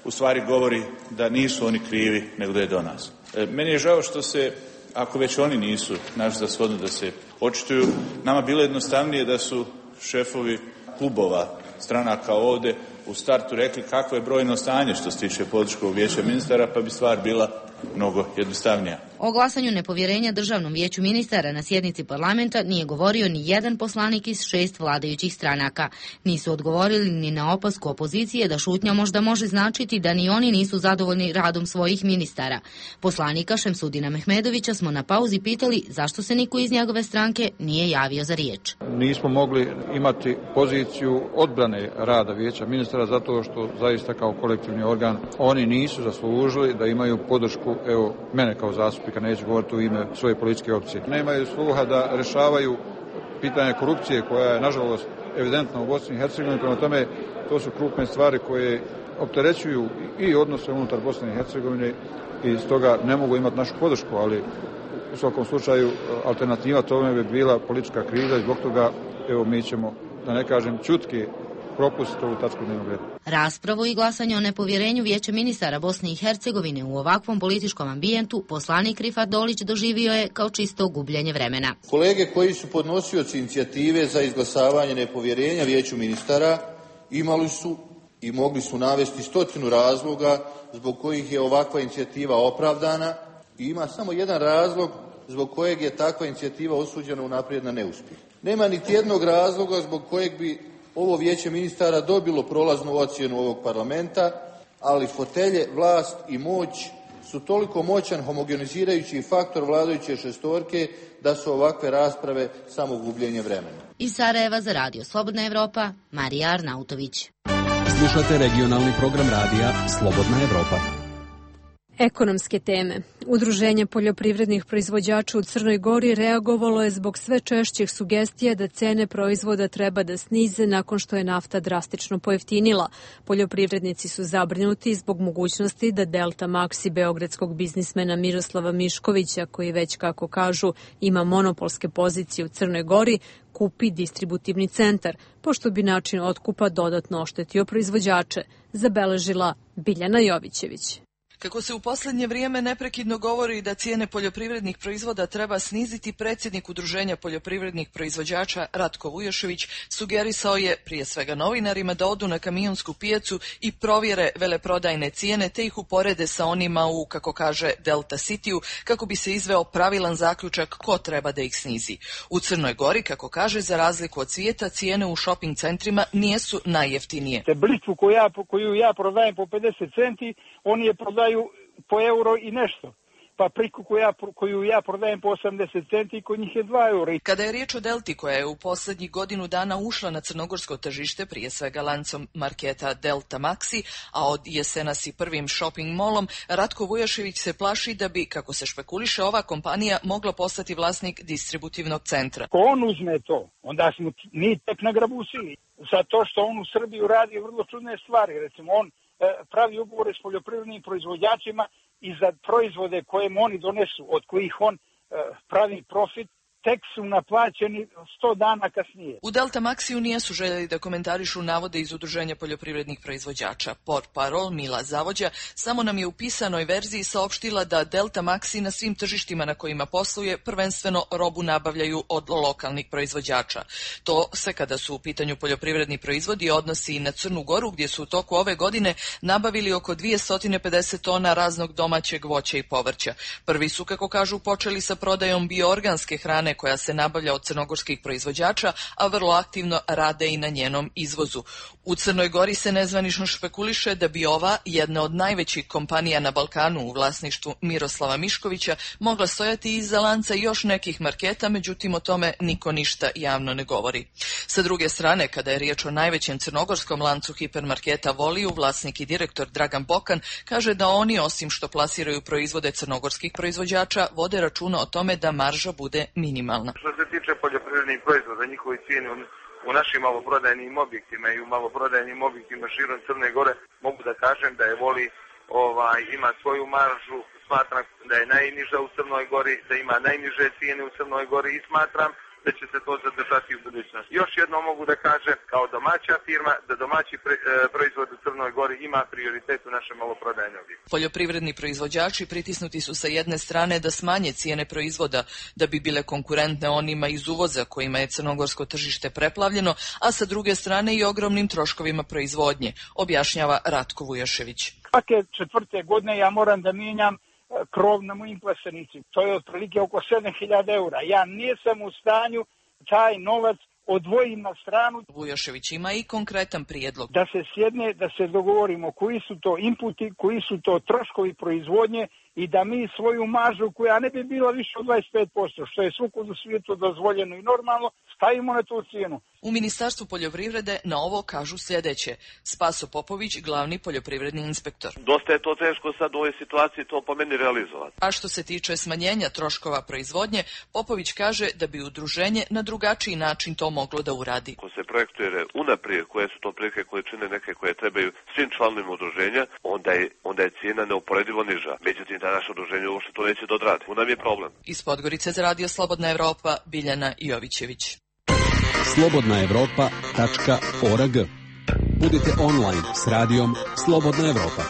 u stvari govori da nisu oni krivi, nego da je do nas. Meni je žao što se, ako već oni nisu naš za shodno da se očituju, nama bilo jednostavnije da su šefovi klubova stranaka ovdje u startu rekli kakvo je brojno stanje što se tiče političkog vijeća ministara, pa bi stvar bila mnogo jednostavnija. O glasanju nepovjerenja Državnom vijeću ministara na sjednici parlamenta nije govorio ni jedan poslanik iz 6 vladajućih stranaka. Nisu odgovorili ni na opasku opozicije da šutnja možda može značiti da ni oni nisu zadovoljni radom svojih ministara. Poslanika Šemsudina Mehmedovića smo na pauzi pitali zašto se niko iz njegove stranke nije javio za riječ. Nismo mogli imati poziciju odbrane rada vijeća ministara zato što zaista kao kolektivni organ oni nisu zaslužili da imaju podršku, evo mene kao zastupnika, neću govoriti u ime svoje političke opcije. Nemaju sluha da rešavaju pitanje korupcije koja je nažalost evidentna u Bosni i Hercegovini, prema tome to su krupne stvari koje opterećuju i odnose unutar Bosne i Hercegovine i stoga ne mogu imati našu podršku, ali u svakom slučaju alternativa tome bi bila politička kriza i zbog toga evo mi ćemo, da ne kažem čutki, propustiti ovu tačku dnevnog reda. Raspravu i glasanje o nepovjerenju vijeća ministara Bosne i Hercegovine u ovakvom političkom ambijentu poslanik Rifat Dolić doživio je kao čisto gubljenje vremena. Kolege koji su podnosioci inicijative za izglasavanje nepovjerenja vijeću ministara imali su i mogli su navesti 100 razloga zbog kojih je ovakva inicijativa opravdana i ima samo jedan razlog zbog kojeg je takva inicijativa osuđena unaprijed na neuspjeh. Nema niti jednog razloga zbog kojeg bi ovo vijeće ministara dobilo prolaznu ocjenu ovog parlamenta, ali fotelje, vlast i moć su toliko moćan homogenizirajući faktor vladajuće šestorke da su ovakve rasprave samo gubljenje vremena. Iz Sarajeva za Radio Slobodna Evropa, Marija Arnautović. Slušate regionalni program radija Slobodna Evropa. Ekonomske teme. Udruženje poljoprivrednih proizvođača u Crnoj Gori reagovalo je zbog sve češćih sugestija da cene proizvoda treba da snize nakon što je nafta drastično pojeftinila. Poljoprivrednici su zabrinuti zbog mogućnosti da Delta Maxi beogradskog biznismena Miroslava Miškovića, koji već, kako kažu, ima monopolske pozicije u Crnoj Gori, kupi distributivni centar, pošto bi način otkupa dodatno oštetio proizvođače, zabeležila Biljana Jovićević. Kako se u posljednje vrijeme neprekidno govori da cijene poljoprivrednih proizvoda treba sniziti, predsjednik Udruženja poljoprivrednih proizvođača Ratko Vujošević sugerisao je prije svega novinarima da odu na kamionsku pijacu i provjere veleprodajne cijene te ih uporede sa onima u, kako kaže, Delta Cityu, kako bi se izveo pravilan zaključak ko treba da ih snizi. U Crnoj Gori, kako kaže, za razliku od svijeta, cijene u shopping centrima nijesu najjeftinije. Blitvu koju ja prodajem po 50 centi, oni je prodaju po euro i nešto. Papriku koju ja prodajem po 80 centi, kod njih je 2 eura. Kada je riječ o Delti, koja je u posljednjih godinu dana ušla na crnogorsko tržište, prije svega lancom marketa Delta Maxi, a od jesenas i prvim shopping molom, Ratko Vujošević se plaši da bi, kako se špekuliše, ova kompanija mogla postati vlasnik distributivnog centra. Ko on uzme to, onda smo mi tek nagrabusili. Zato što on u Srbiju radi vrlo čudne stvari. Recimo, on pravi ugovore s poljoprivrednim proizvođačima i za proizvode koje oni donesu, od kojih on pravi profit, tek su naplaćeni 100 dana kasnije. U Delta Maxiju nijesu željeli da komentarišu navode iz Udruženja poljoprivrednih proizvođača. Portparol Mila Zavođa samo nam je u pisanoj verziji saopštila da Delta Maxi na svim tržištima na kojima posluje prvenstveno robu nabavljaju od lokalnih proizvođača. To se kada su u pitanju poljoprivredni proizvodi odnosi i na Crnu Goru, gdje su u toku ove godine nabavili oko 250 tona raznog domaćeg voća i povrća. Prvi su, kako kažu, počeli sa prodajom bioorganske hrane koja se nabavlja od crnogorskih proizvođača, a vrlo aktivno rade i na njenom izvozu. U Crnoj Gori se nezvanično špekuliše da bi ova, jedna od najvećih kompanija na Balkanu u vlasništvu Miroslava Miškovića, mogla stojati iza lanca još nekih marketa, međutim o tome niko ništa javno ne govori. Sa druge strane, kada je riječ o najvećem crnogorskom lancu hipermarketa Voliju, vlasnik i direktor Dragan Bokan kaže da oni, osim što plasiraju proizvode crnogorskih proizvođača, vode računa o tome da marža bude minimalna. Što se tiče poljoprivrednih proizvoda, njihovi cijeni u našim maloprodajnim objektima i u maloprodajnim objektima širom Crne Gore, mogu da kažem da je Voli ima svoju maržu, smatram da je najniža u Crnoj Gori, da ima najniže cijene u Crnoj Gori i smatram da će se to zadržati u budućnosti. Još jedno mogu da kažem, kao domaća firma, da domaći proizvod u Crnoj Gori ima prioritet u našem maloprodajnom objektu. Poljoprivredni proizvođači pritisnuti su sa jedne strane da smanje cijene proizvoda da bi bile konkurentne onima iz uvoza kojima je crnogorsko tržište preplavljeno, a sa druge strane i ogromnim troškovima proizvodnje, objašnjava Ratko Vujošević. Svake 4. godine ja moram da mijenjam krov na mojim plesenici. To je otprilike oko 7.000 eura. Ja nisam u stanju taj novac odvojim na stranu. Vujošević ima i konkretan prijedlog. Da se sjedne, da se dogovorimo koji su to inputi, koji su to troškovi proizvodnje i da mi svoju maržu, koja ne bi bila više od 25%, što je svugdje u svijetu dozvoljeno i normalno, stavimo na tu cijenu. U Ministarstvu poljoprivrede na ovo kažu sljedeće. Spaso Popović, glavni poljoprivredni inspektor. Dosta je to teško sad u ovoj situaciji to po meni realizovati. A što se tiče smanjenja troškova proizvodnje, Popović kaže da bi udruženje na drugačiji način to moglo da uradi. Ako se projektuje unaprijed koje su to prilike količine neke koje trebaju svim članovima udruženja, onda je cijena neuporedivo niža. Međutim, da naše udruženje uopšte to neće dodrati. U nam je problem. Iz Podgorice za Radio Slobodna Evropa, Biljana Jovićević. slobodnaevropa.org. Budite online s radijom Slobodna Evropa.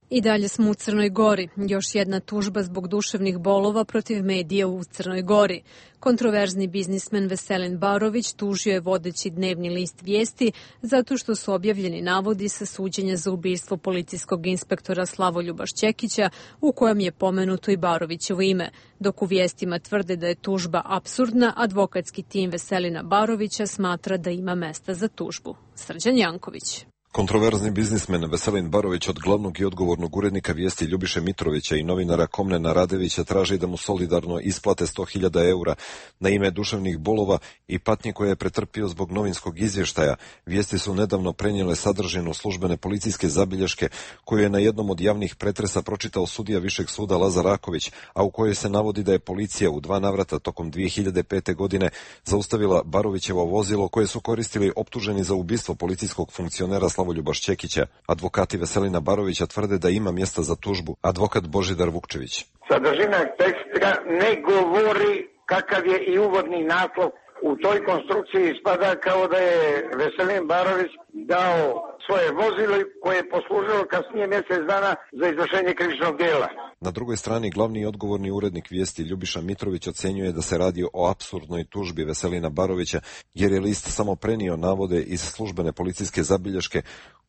I dalje smo u Crnoj Gori. Još jedna tužba zbog duševnih bolova protiv medija u Crnoj Gori. Kontroverzni biznismen Veselin Barović tužio je vodeći dnevni list Vijesti zato što su objavljeni navodi sa suđenja za ubistvo policijskog inspektora Slavoljuba Šćekića u kojem je pomenuto i Barovićevo ime. Dok u Vijestima tvrde da je tužba apsurdna, advokatski tim Veselina Barovića smatra da ima mesta za tužbu. Srđan Janković. Kontroverzni biznismen Veselin Barović od glavnog i odgovornog urednika Vijesti Ljubiše Mitrovića i novinara Komnena Radevića traži da mu solidarno isplate 100.000 eura na ime duševnih bolova i patnje koje je pretrpio zbog novinskog izvještaja. Vijesti su nedavno prenijele sadržinu službene policijske zabilješke koju je na jednom od javnih pretresa pročitao sudija Višeg suda Lazar Raković, a u kojoj se navodi da je policija u 2 navrata tokom 2005. godine zaustavila Barovićevo vozilo koje su koristili optuženi za ubistvo policijskog funkcionera Slavoljuba Šćekića. Advokati Veselina Barovića tvrde da ima mjesta za tužbu. Advokat Božidar Vukčević. Sadržina teksta ne govori kakav je i uvodni naslov. U toj konstrukciji ispada kao da je Veselin Barović dao svoje vozilo koje je poslužilo kasnije mjesec dana za izvršenje krivičnog djela. Na drugoj strani glavni i odgovorni urednik Vijesti Ljubiša Mitrović ocenjuje da se radi o apsurdnoj tužbi Veselina Barovića jer je list samo prenio navode iz službene policijske zabilješke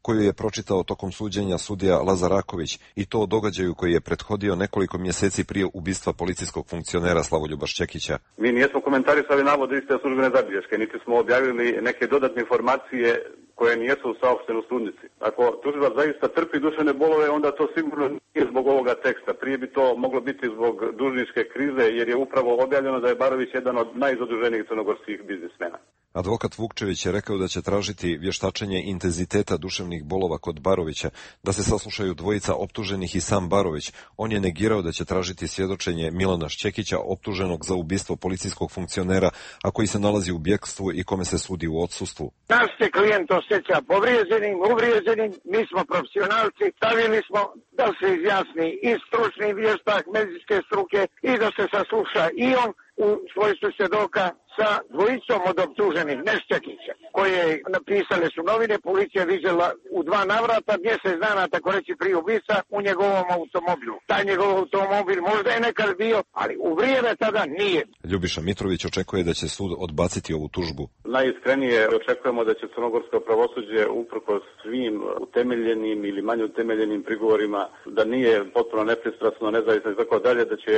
koju je pročitao tokom suđenja sudija Lazar Raković i to o događaju koji je prethodio nekoliko mjeseci prije ubistva policijskog funkcionera Slavoljuba Šćekića. Mi nijesmo komentarisali navode iste službene zabilješke, niti smo objavili neke dodatne informacije koje nijesu saopštene u sudnici. Ako tužilac zaista trpi duševne bolove, onda to sigurno nije zbog ovoga teksta. Prije bi to moglo biti zbog dužničke krize, jer je upravo objavljeno da je Barović jedan od najzaduženijih crnogorskih biznismena. Advokat Vukčević je rekao da će tražiti vještačenje intenziteta duševnih bolova kod Barovića, da se saslušaju dvojica optuženih i sam Barović. On je negirao da će tražiti svjedočenje Milana Šćekića, optuženog za ubistvo policijskog funkcionera, a koji se nalazi u bjekstvu i kome se sudi u odsustvu. Naš se klijent osjeća povrijeđenim, uvrijeđenim, mi smo profesionalci, stavili smo da se izjasni i stručni vještak medicinske struke i da se sasluša i on u svojstvu svjedoka sa dvojicom od optuženih Nešćakića, koje napisale su novine, policija vidjela u 2 navrata, mjesec dana, tako reći, prije ubica u njegovom automobilu. Taj njegov automobil možda je nekad bio, ali u vrijeme tada nije. Ljubiša Mitrović očekuje da će sud odbaciti ovu tužbu. Najiskrenije očekujemo da će crnogorsko pravosuđe uprkos svim utemeljenim ili manje utemeljenim prigovorima, da nije potpuno nepristrasno, nezavisno i tako dalje, da će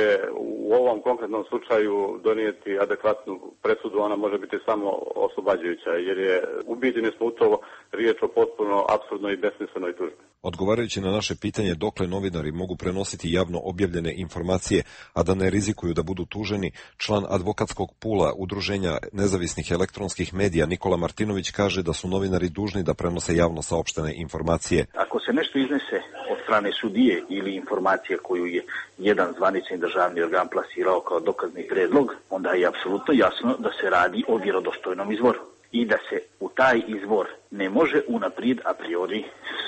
u ovom konkretnom slučaju donijeti adekvatnu presudu, ona može biti samo oslobađajuća, jer je ubijeđeni smo u to riječ o potpuno apsurdnoj i besmislenoj tužbi. Odgovarajući na naše pitanje dokle novinari mogu prenositi javno objavljene informacije, a da ne rizikuju da budu tuženi, član advokatskog pula Udruženja nezavisnih elektronskih medija Nikola Martinović kaže da su novinari dužni da prenose javno saopštene informacije. Ako se nešto iznese od strane sudije ili informacije koju je jedan zvanični državni organ plasirao kao dokazni predlog, onda je apsolutno jasno da se radi o vjerodostojnom izvoru i da se u taj izvor ne može unaprijed a priori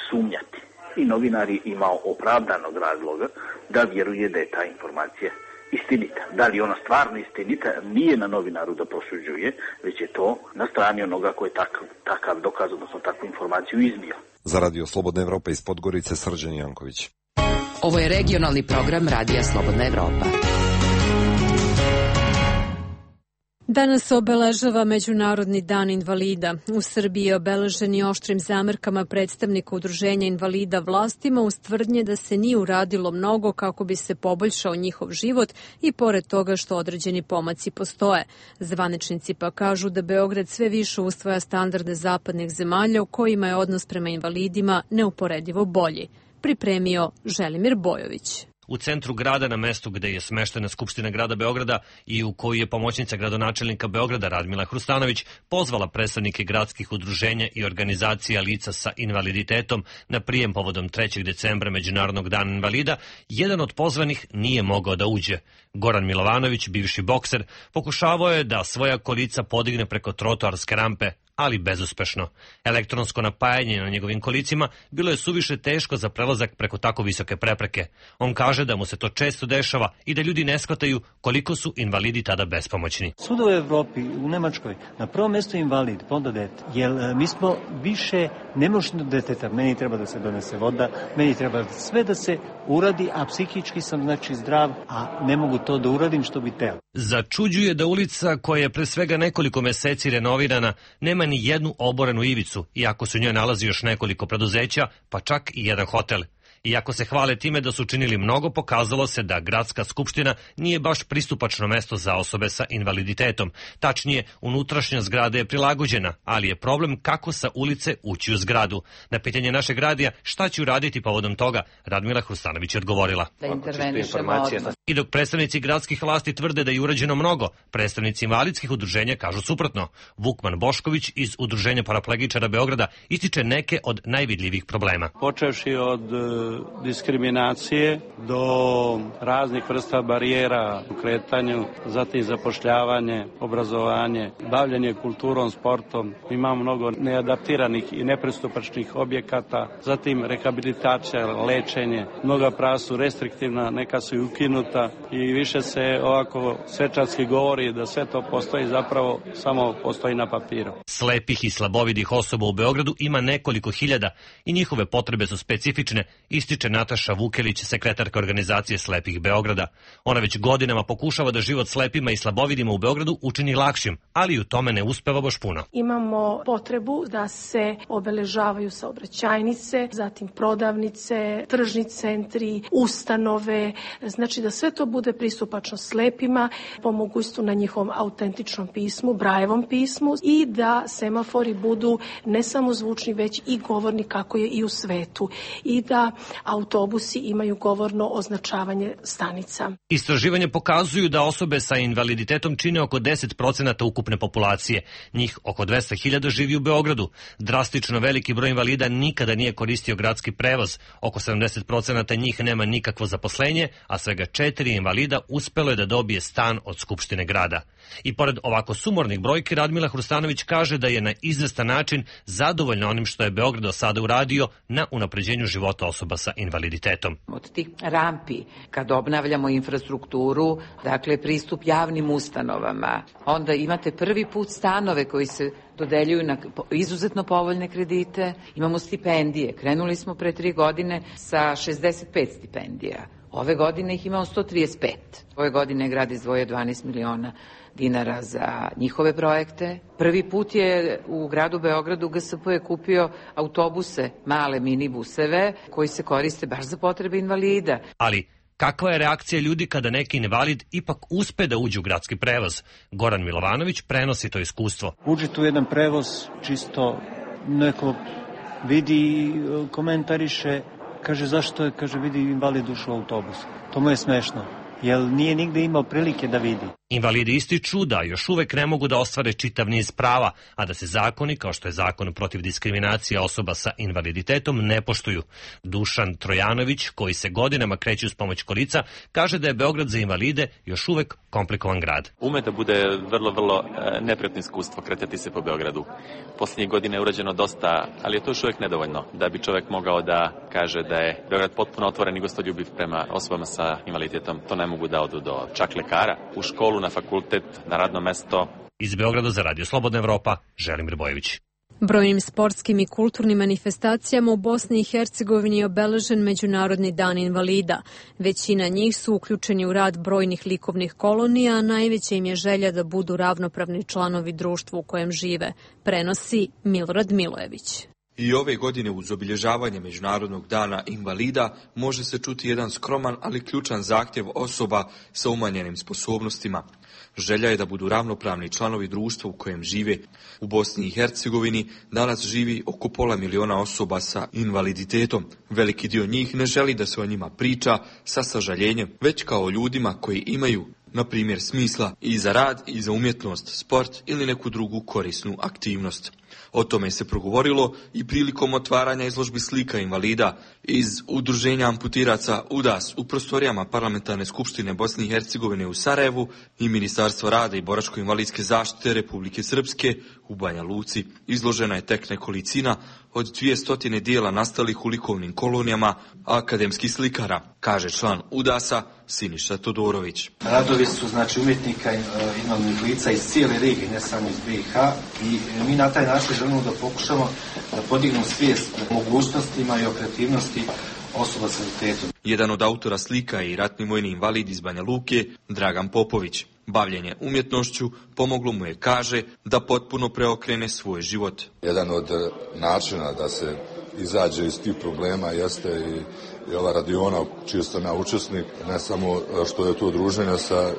sumnjati. I novinar je imao opravdanog razloga da vjeruje da je ta informacija istinita. Da li je ona stvarno istinita, nije na novinaru da prosuđuje, već je to na strani onoga koji je takav dokaz, odnosno takvu informaciju iznio. Za Radio Slobodna Evropa iz Podgorice, Srđan Janković. Ovo je regionalni program Radija Slobodna Evropa. Danas obeležava Međunarodni dan invalida. U Srbiji je obeležen i oštrim zamerkama predstavnika Udruženja invalida vlastima uz tvrdnje da se nije uradilo mnogo kako bi se poboljšao njihov život i pored toga što određeni pomaci postoje. Zvaničnici pa kažu da Beograd sve više usvaja standarde zapadnih zemalja u kojima je odnos prema invalidima neuporedivo bolji. Pripremio Želimir Bojović. U centru grada, na mestu gde je smeštena Skupština grada Beograda i u kojoj je pomoćnica gradonačelnika Beograda Radmila Hrustanović pozvala predstavnike gradskih udruženja i organizacija lica sa invaliditetom na prijem povodom 3. decembra Međunarodnog dana invalida, jedan od pozvanih nije mogao da uđe. Goran Milovanović, bivši bokser, pokušavao je da svoja kolica podigne preko trotoarske rampe, ali bezuspešno. Elektronsko napajanje na njegovim kolicima bilo je suviše teško za prelazak preko tako visoke prepreke. On kaže da mu se to često dešava i da ljudi ne shvataju koliko su invalidi tada bespomoćni. Svuda u Evropi, u Nemačkoj, na prvom mjestu invalid, pa onda dete. Jer mi smo više nemoćni deteta. Meni treba da se donese voda, meni treba sve da se uradi, a psihički sam znači zdrav, a ne mogu to da uradim što bi teo. Začuđuje da ulica koja je pre svega nekoliko meseci renovirana nema ni jednu oborenu ivicu, iako se u njoj nalazi još nekoliko preduzeća, pa čak i jedan hotel. Iako se hvale time da su činili mnogo, pokazalo se da gradska skupština nije baš pristupačno mesto za osobe sa invaliditetom. Tačnije, unutrašnja zgrada je prilagođena, ali je problem kako sa ulice ući u zgradu. Na pitanje našeg radija šta će uraditi povodom toga, Radmila Hrustanović je odgovorila. Da intervenišemo odmah. I dok predstavnici gradskih vlasti tvrde da je urađeno mnogo, predstavnici invalidskih udruženja kažu suprotno. Vukman Bošković iz Udruženja paraplegičara Beograda ističe neke od najvidljivih problema. Počevši od diskriminacije do raznih vrsta barijera u kretanju, zatim zapošljavanje, obrazovanje, bavljenje kulturom, sportom. Imamo mnogo neadaptiranih i nepristupačnih objekata, zatim rehabilitacija, lečenje. Mnoga prava su restriktivna, neka su i ukinuta i više se ovako svečarski govori da sve to postoji, zapravo samo postoji na papiru. Slepih i slabovidih osoba u Beogradu ima nekoliko hiljada i njihove potrebe su specifične, ističe Nataša Vukelić, sekretarka organizacije Slepih Beograda. Ona već godinama pokušava da život slepima i slabovidima u Beogradu učini lakšim, ali u tome ne uspeva baš puno. Imamo potrebu da se obeležavaju saobraćajnice, zatim prodavnice, tržni centri, ustanove, znači da sve to bude pristupačno slepima, po mogućstvu na njihovom autentičnom pismu, Brajevom pismu i da semafori budu ne samo zvučni, već i govorni kako je i u svetu i da autobusi imaju govorno označavanje stanica. Istraživanje pokazuju da osobe sa invaliditetom čine oko 10% ukupne populacije. Njih oko 200.000 živi u Beogradu. Drastično veliki broj invalida nikada nije koristio gradski prevoz. Oko 70% njih nema nikakvo zaposlenje, a svega 4 invalida uspelo je da dobije stan od Skupštine grada. I pored ovako sumornih brojki, Radmila Hrustanović kaže da je na izvestan način zadovoljna onim što je Beograd do sada uradio na unapređenju života osoba sa invaliditetom. Od tih rampi, kad obnavljamo infrastrukturu, dakle pristup javnim ustanovama, onda imate prvi put stanove koji se dodeljuju na izuzetno povoljne kredite, imamo stipendije, krenuli smo pre 3 godine sa 65 stipendija. Ove godine ih imamo 135. Ove godine je grad izdvojio 12 miliona dinara za njihove projekte. Prvi put je u gradu Beogradu GSP je kupio autobuse, male minibuseve, koji se koriste baš za potrebe invalida. Ali kakva je reakcija ljudi kada neki invalid ipak uspe da uđe u gradski prevoz? Goran Milovanović prenosi to iskustvo. Uđe tu jedan prevoz, čisto neko vidi, komentariše, kaže zašto je, kaže vidi invalid ušao u autobus. To mu je smešno, jer nije nigde imao prilike da vidi. Invalidi ističu da još uvek ne mogu da ostvare čitav niz prava, a da se zakoni, kao što je zakon protiv diskriminacije osoba sa invaliditetom, ne poštuju. Dušan Trojanović, koji se godinama kreće uz pomoć kolica, kaže da je Beograd za invalide još uvek komplikovan grad. Ume da bude vrlo neprijatno iskustvo kretati se po Beogradu. Poslednjih godina je urađeno dosta, ali je to još uvek nedovoljno da bi čovek mogao da kaže da je Beograd potpuno otvoren i gostoljubiv prema osobama sa invaliditetom. To ne mogu da odu do čak lekara, u školu, na fakultet, na radno mesto. Iz Beograda za Radio Slobodna Evropa, Želimir Bojević. Brojnim sportskim i kulturnim manifestacijama u Bosni i Hercegovini je obeležen Međunarodni dan invalida. Većina njih su uključeni u rad brojnih likovnih kolonija, a najveća im je želja da budu ravnopravni članovi društva u kojem žive, prenosi Milorad Milojević. I ove godine uz obilježavanje Međunarodnog dana invalida može se čuti jedan skroman, ali ključan zahtjev osoba sa umanjenim sposobnostima. Želja je da budu ravnopravni članovi društva u kojem žive. U Bosni i Hercegovini danas živi oko 500 miliona osoba sa invaliditetom. Veliki dio njih ne želi da se o njima priča sa sažaljenjem, već kao ljudima koji imaju, na primjer, smisla i za rad i za umjetnost, sport ili neku drugu korisnu aktivnost. O tome se progovorilo i prilikom otvaranja izložbi slika invalida iz udruženja amputiraca UDAS u prostorijama Parlamentarne skupštine Bosne i Hercegovine u Sarajevu i Ministarstva rada i boračko-invalidske zaštite Republike Srpske u Banja Luci. Izložena je tek nekolicina od 200 dijela nastalih u likovnim kolonijama akademskih slikara, kaže član UDAS-a Siniša Todorović. Radovi su umjetnika invalidnih lica iz cijele regije, ne samo iz BiH, i mi na taj način želimo da pokušamo da podignemo svijest o mogućnostima i o kreativnosti osoba s invaliditetom. Jedan od autora slika je i ratni vojni invalid iz Banja Luke, Dragan Popović. Bavljenje umjetnošću pomoglo mu je, kaže, da potpuno preokrene svoj život. Jedan od načina da se izađe iz tih problema jeste i ova radiona čiji sam ja učesnik, ne samo što je to druženje sa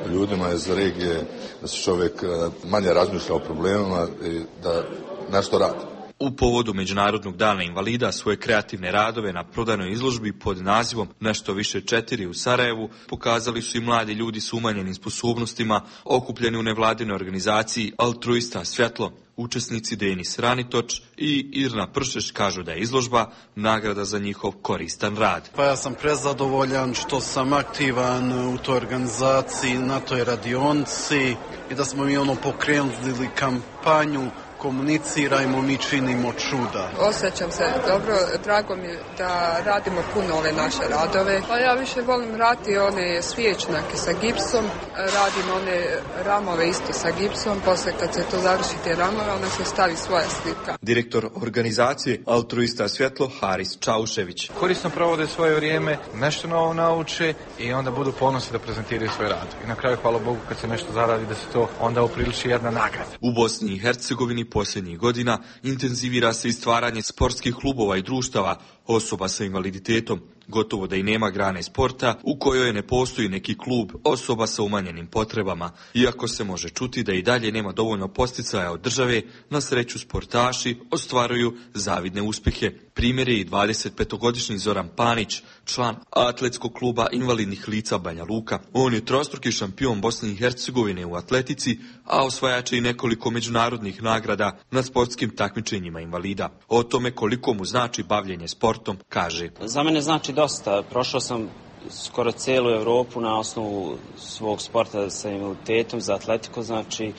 ljudima iz regije, da se čovjek manje razmišlja o problemima i da nešto radi. U povodu Međunarodnog dana invalida svoje kreativne radove na prodanoj izložbi pod nazivom Nešto više 4 u Sarajevu pokazali su i mladi ljudi s umanjenim sposobnostima okupljeni u nevladinoj organizaciji Altruista Svjetlo. Učesnici Denis Ranitoč i Irna Pršeš kažu da je izložba nagrada za njihov koristan rad. Pa ja sam prezadovoljan što sam aktivan u toj organizaciji, na toj radionci i da smo mi pokrenuli kampanju Komunicirajmo, mi činimo čuda. Osjećam se dobro, drago mi da radimo puno ove naše radove. Pa ja više volim raditi one svječnake sa gipsom, radim one ramove isto sa gipsom, posle kad se to završi te ramove, onda se stavi svoja slika. Direktor organizacije Altruista Svjetlo Haris Čaušević. Korisno provode svoje vrijeme, nešto novo nauče i onda budu ponosni da prezentiraju svoj rad. I na kraju, hvala Bogu, kad se nešto zaradi, da se to onda upriliči jedna nagrada. U Bosni i Hercegovini posljednjih godina intenzivira se i stvaranje sportskih klubova i društava osoba sa invaliditetom. Gotovo da i nema grane sporta u kojoj ne postoji neki klub osoba sa umanjenim potrebama. Iako se može čuti da i dalje nema dovoljno posticaja od države, na sreću sportaši ostvaruju zavidne uspjehe. Primjer je i 25-godišnji Zoran Panić, član atletskog kluba invalidnih lica Banja Luka. On je trostruki šampion Bosne i Hercegovine u atletici, a osvajač je i nekoliko međunarodnih nagrada na sportskim takmičenjima invalida. O tome koliko mu znači bavljenje sportom, kaže. Za mene znači dosta. Prošao sam skoro cijelu Evropu na osnovu svog sporta sa invaliditetom, za atletiku, znači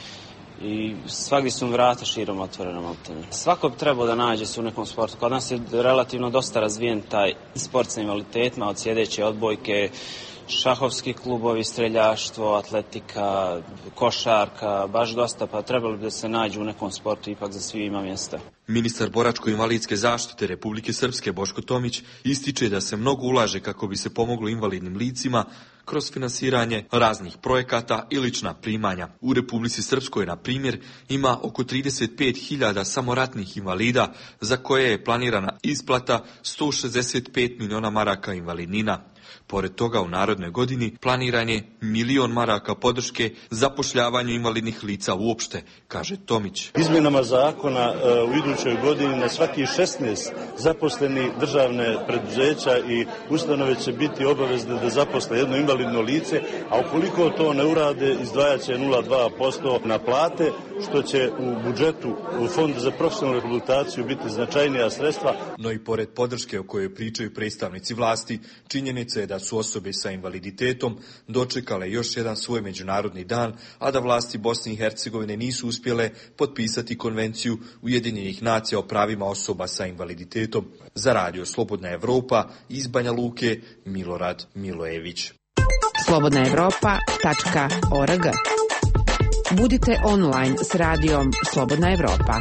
i svagdje su vrata širom otvorena maltene. Svako bi trebao da nađe se u nekom sportu. Kod nas je relativno dosta razvijen taj sport sa invaliditetima, od sjedeće odbojke, šahovski klubovi, streljaštvo, atletika, košarka, baš dosta, pa trebalo bi da se nađu u nekom sportu, ipak za svi ima mjesta. Ministar boračko-invalidske zaštite Republike Srpske Boško Tomić ističe da se mnogo ulaže kako bi se pomoglo invalidnim licima kroz finansiranje raznih projekata i lična primanja. U Republici Srpskoj, na primjer, ima oko 35.000 samoratnih invalida za koje je planirana isplata 165 miliona maraka invalidnina. Pored toga, u narednoj godini planiran je 1.000.000 maraka podrške zapošljavanju invalidnih lica uopšte, kaže Tomić. Izmjenama zakona u idućoj godini na svaki 16 zaposleni državne preduzeća i ustanove će biti obavezne da zaposle jedno invalidno lice, a ukoliko to ne urade, izdvajat će 0,2% na plate, što će u budžetu u Fondu za profesionalnu rehabilitaciju biti značajnija sredstva. No i pored podrške o kojoj pričaju predstavnici vlasti, činjenica je da su osobe sa invaliditetom dočekale još jedan svoj međunarodni dan, a da vlasti Bosne i Hercegovine nisu uspjele potpisati konvenciju Ujedinjenih nacija o pravima osoba sa invaliditetom. Za Radio Slobodna Evropa iz Banja Luke, Milorad Milojević. slobodnaevropa.org. Budite online s radijom Slobodna Evropa.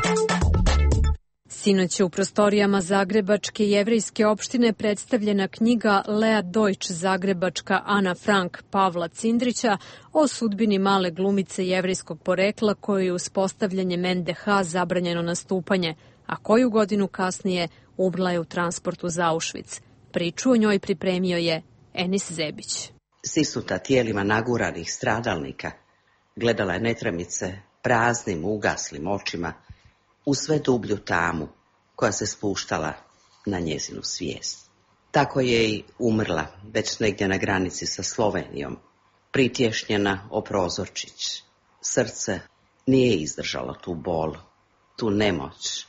Sinoć je u prostorijama Zagrebačke jevrejske opštine predstavljena knjiga Lea Deutsch, zagrebačka Ana Frank Pavla Cindrića o sudbini male glumice jevrejskog porekla kojoj je uspostavljanjem NDH zabranjeno nastupanje, a koju godinu kasnije umrla je u transportu za Auschwitz. Priču o njoj pripremio je Enis Zebić. Sisnuta tijelima naguranih stradalnika, gledala je netremice praznim, ugaslim očima u sve dublju tamu koja se spuštala na njezinu svijest. Tako je i umrla, već negdje na granici sa Slovenijom, pritješnjena o prozorčić. Srce nije izdržalo tu bol, tu nemoć,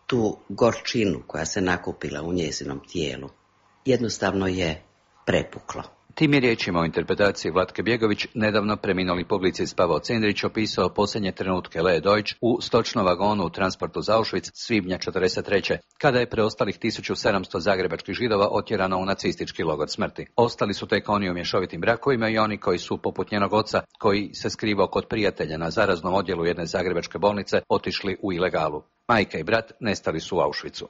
tu gorčinu koja se nakupila u njezinom tijelu. Jednostavno je prepuklo. Tim je riječima o interpretaciji Vlatke Bjegović nedavno preminuli publicist Pavao Cindrić opisao posljednje trenutke Lee Deutsch u stočnom vagonu u transportu za Auschwitz svibnja 1943. kada je preostalih 1700 zagrebačkih Židova otjerano u nacistički logor smrti. Ostali su tek oni u mješovitim brakovima i oni koji su, poput njenog oca, koji se skrivao kod prijatelja na zaraznom odjelu jedne zagrebačke bolnice, otišli u ilegalu. Majka i brat nestali su u Auschwitzu.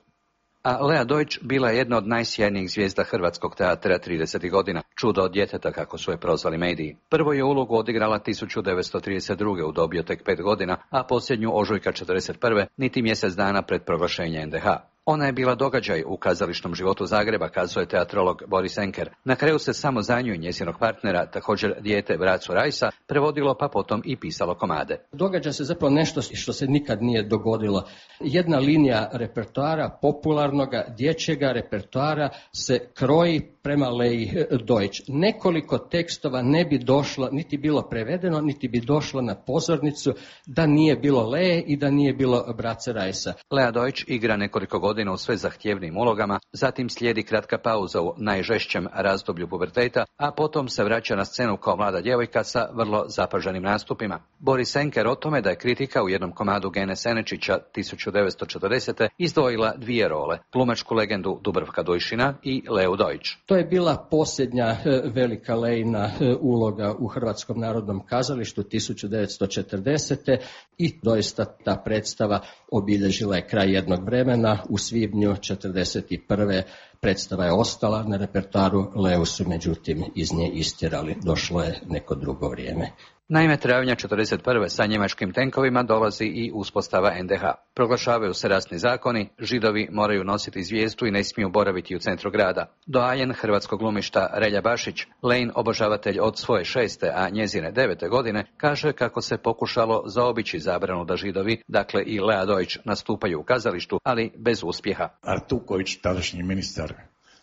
A Lea Deutsch bila je jedna od najsjajnijih zvijezda hrvatskog teatra 30. godina, čudo od djeteta kako su je prozvali mediji. Prvo je ulogu odigrala 1932. u dobi od tek 5 godina, a posljednju ožujka 1941. niti mjesec dana pred proglašenje NDH. Ona je bila događaj u kazališnom životu Zagreba, kazuje teatrolog Boris Enker. Na kraju se samo za nju i njezinog partnera, također dijete Bracu Rajsa, prevodilo pa potom i pisalo komade. Događa se zapravo nešto što se nikad nije dogodilo. Jedna linija repertoara, popularnoga dječjega repertoara, se kroji prema Lei Deutsch. Nekoliko tekstova ne bi došlo, niti bilo prevedeno, niti bi došlo na pozornicu da nije bilo Leje i da nije bilo Brace Rajsa. Lea Deutsch igra nekoliko godina u sve zahtjevnim ulogama, zatim slijedi kratka pauza u najžešćem razdoblju puberteta, a potom se vraća na scenu kao mlada djevojka sa vrlo zapaženim nastupima. Boris Enker o tome da je kritika u jednom komadu Gene Senečića 1940. izdvojila dvije role, glumačku legendu Dubravka Dujšina i Leu Deutsch. To je bila posljednja velika Lejina uloga u Hrvatskom narodnom kazalištu 1940. i doista ta predstava obilježila je kraj jednog vremena. U svibnju 1941. predstava je ostala na repertoaru, Leu su međutim iz nje istjerali, došlo je neko drugo vrijeme. Naime, travnja 1941. sa njemačkim tenkovima dolazi i uspostava NDH. Proglašavaju se rasni zakoni, Židovi moraju nositi zvijezdu i ne smiju boraviti u centru grada. Doajen hrvatskog glumišta Relja Bašić, Lejin obožavatelj od svoje 6. a njezine 9. godine, kaže kako se pokušalo zaobići zabranu da Židovi, dakle i Lea Deutsch, nastupaju u kazalištu, ali bez uspjeha. Artuković, tadašnji ministar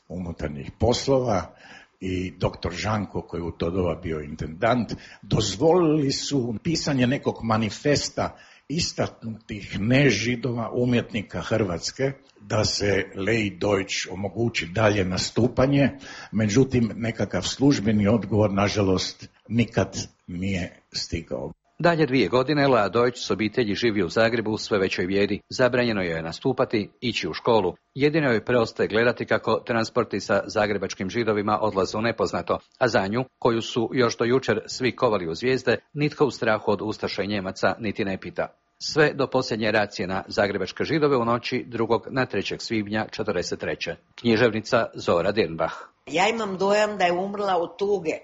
unutarnjih poslova, i doktor Žanko, koji u to doba bio intendant, dozvolili su pisanje nekog manifesta istaknutih nežidova umjetnika Hrvatske da se Lei Deutsch omogući dalje nastupanje, međutim nekakav službeni odgovor nažalost nikad nije stigao. Dalje 2 godine Lea Deutsch s obitelji živi u Zagrebu u sve većoj bijedi. Zabranjeno joj je nastupati, ići u školu. Jedino joj preostaje gledati kako transporti sa zagrebačkim Židovima odlaze u nepoznato, a za nju, koju su još do jučer svi kovali u zvijezde, nitko u strahu od ustaša i Njemaca niti ne pita. Sve do posljednje racije na zagrebačke Židove u noći 2. na 3. svibnja 1943. Književnica Zora Dirnbach. Ja imam dojam da je umrla od tuge,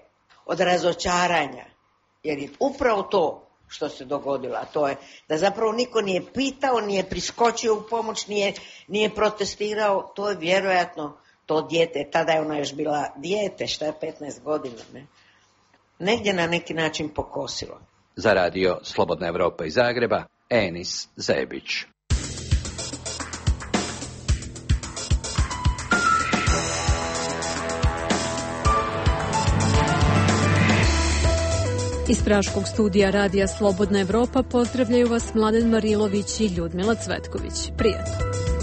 od razočaranja, jer je upravo to što se dogodilo, a to je da zapravo niko nije pitao, nije priskočio u pomoć, nije protestirao, to je vjerojatno to dijete, tada je ona još bila dijete, šta je 15 godina, ne? Negdje na neki način pokosilo. Za radio Slobodna Evropa iz Zagreba, Enis Zebić. Iz Praškog studija radija Slobodna Evropa pozdravljaju vas Mladen Marilović i Ljudmila Cvetković. Prijatno.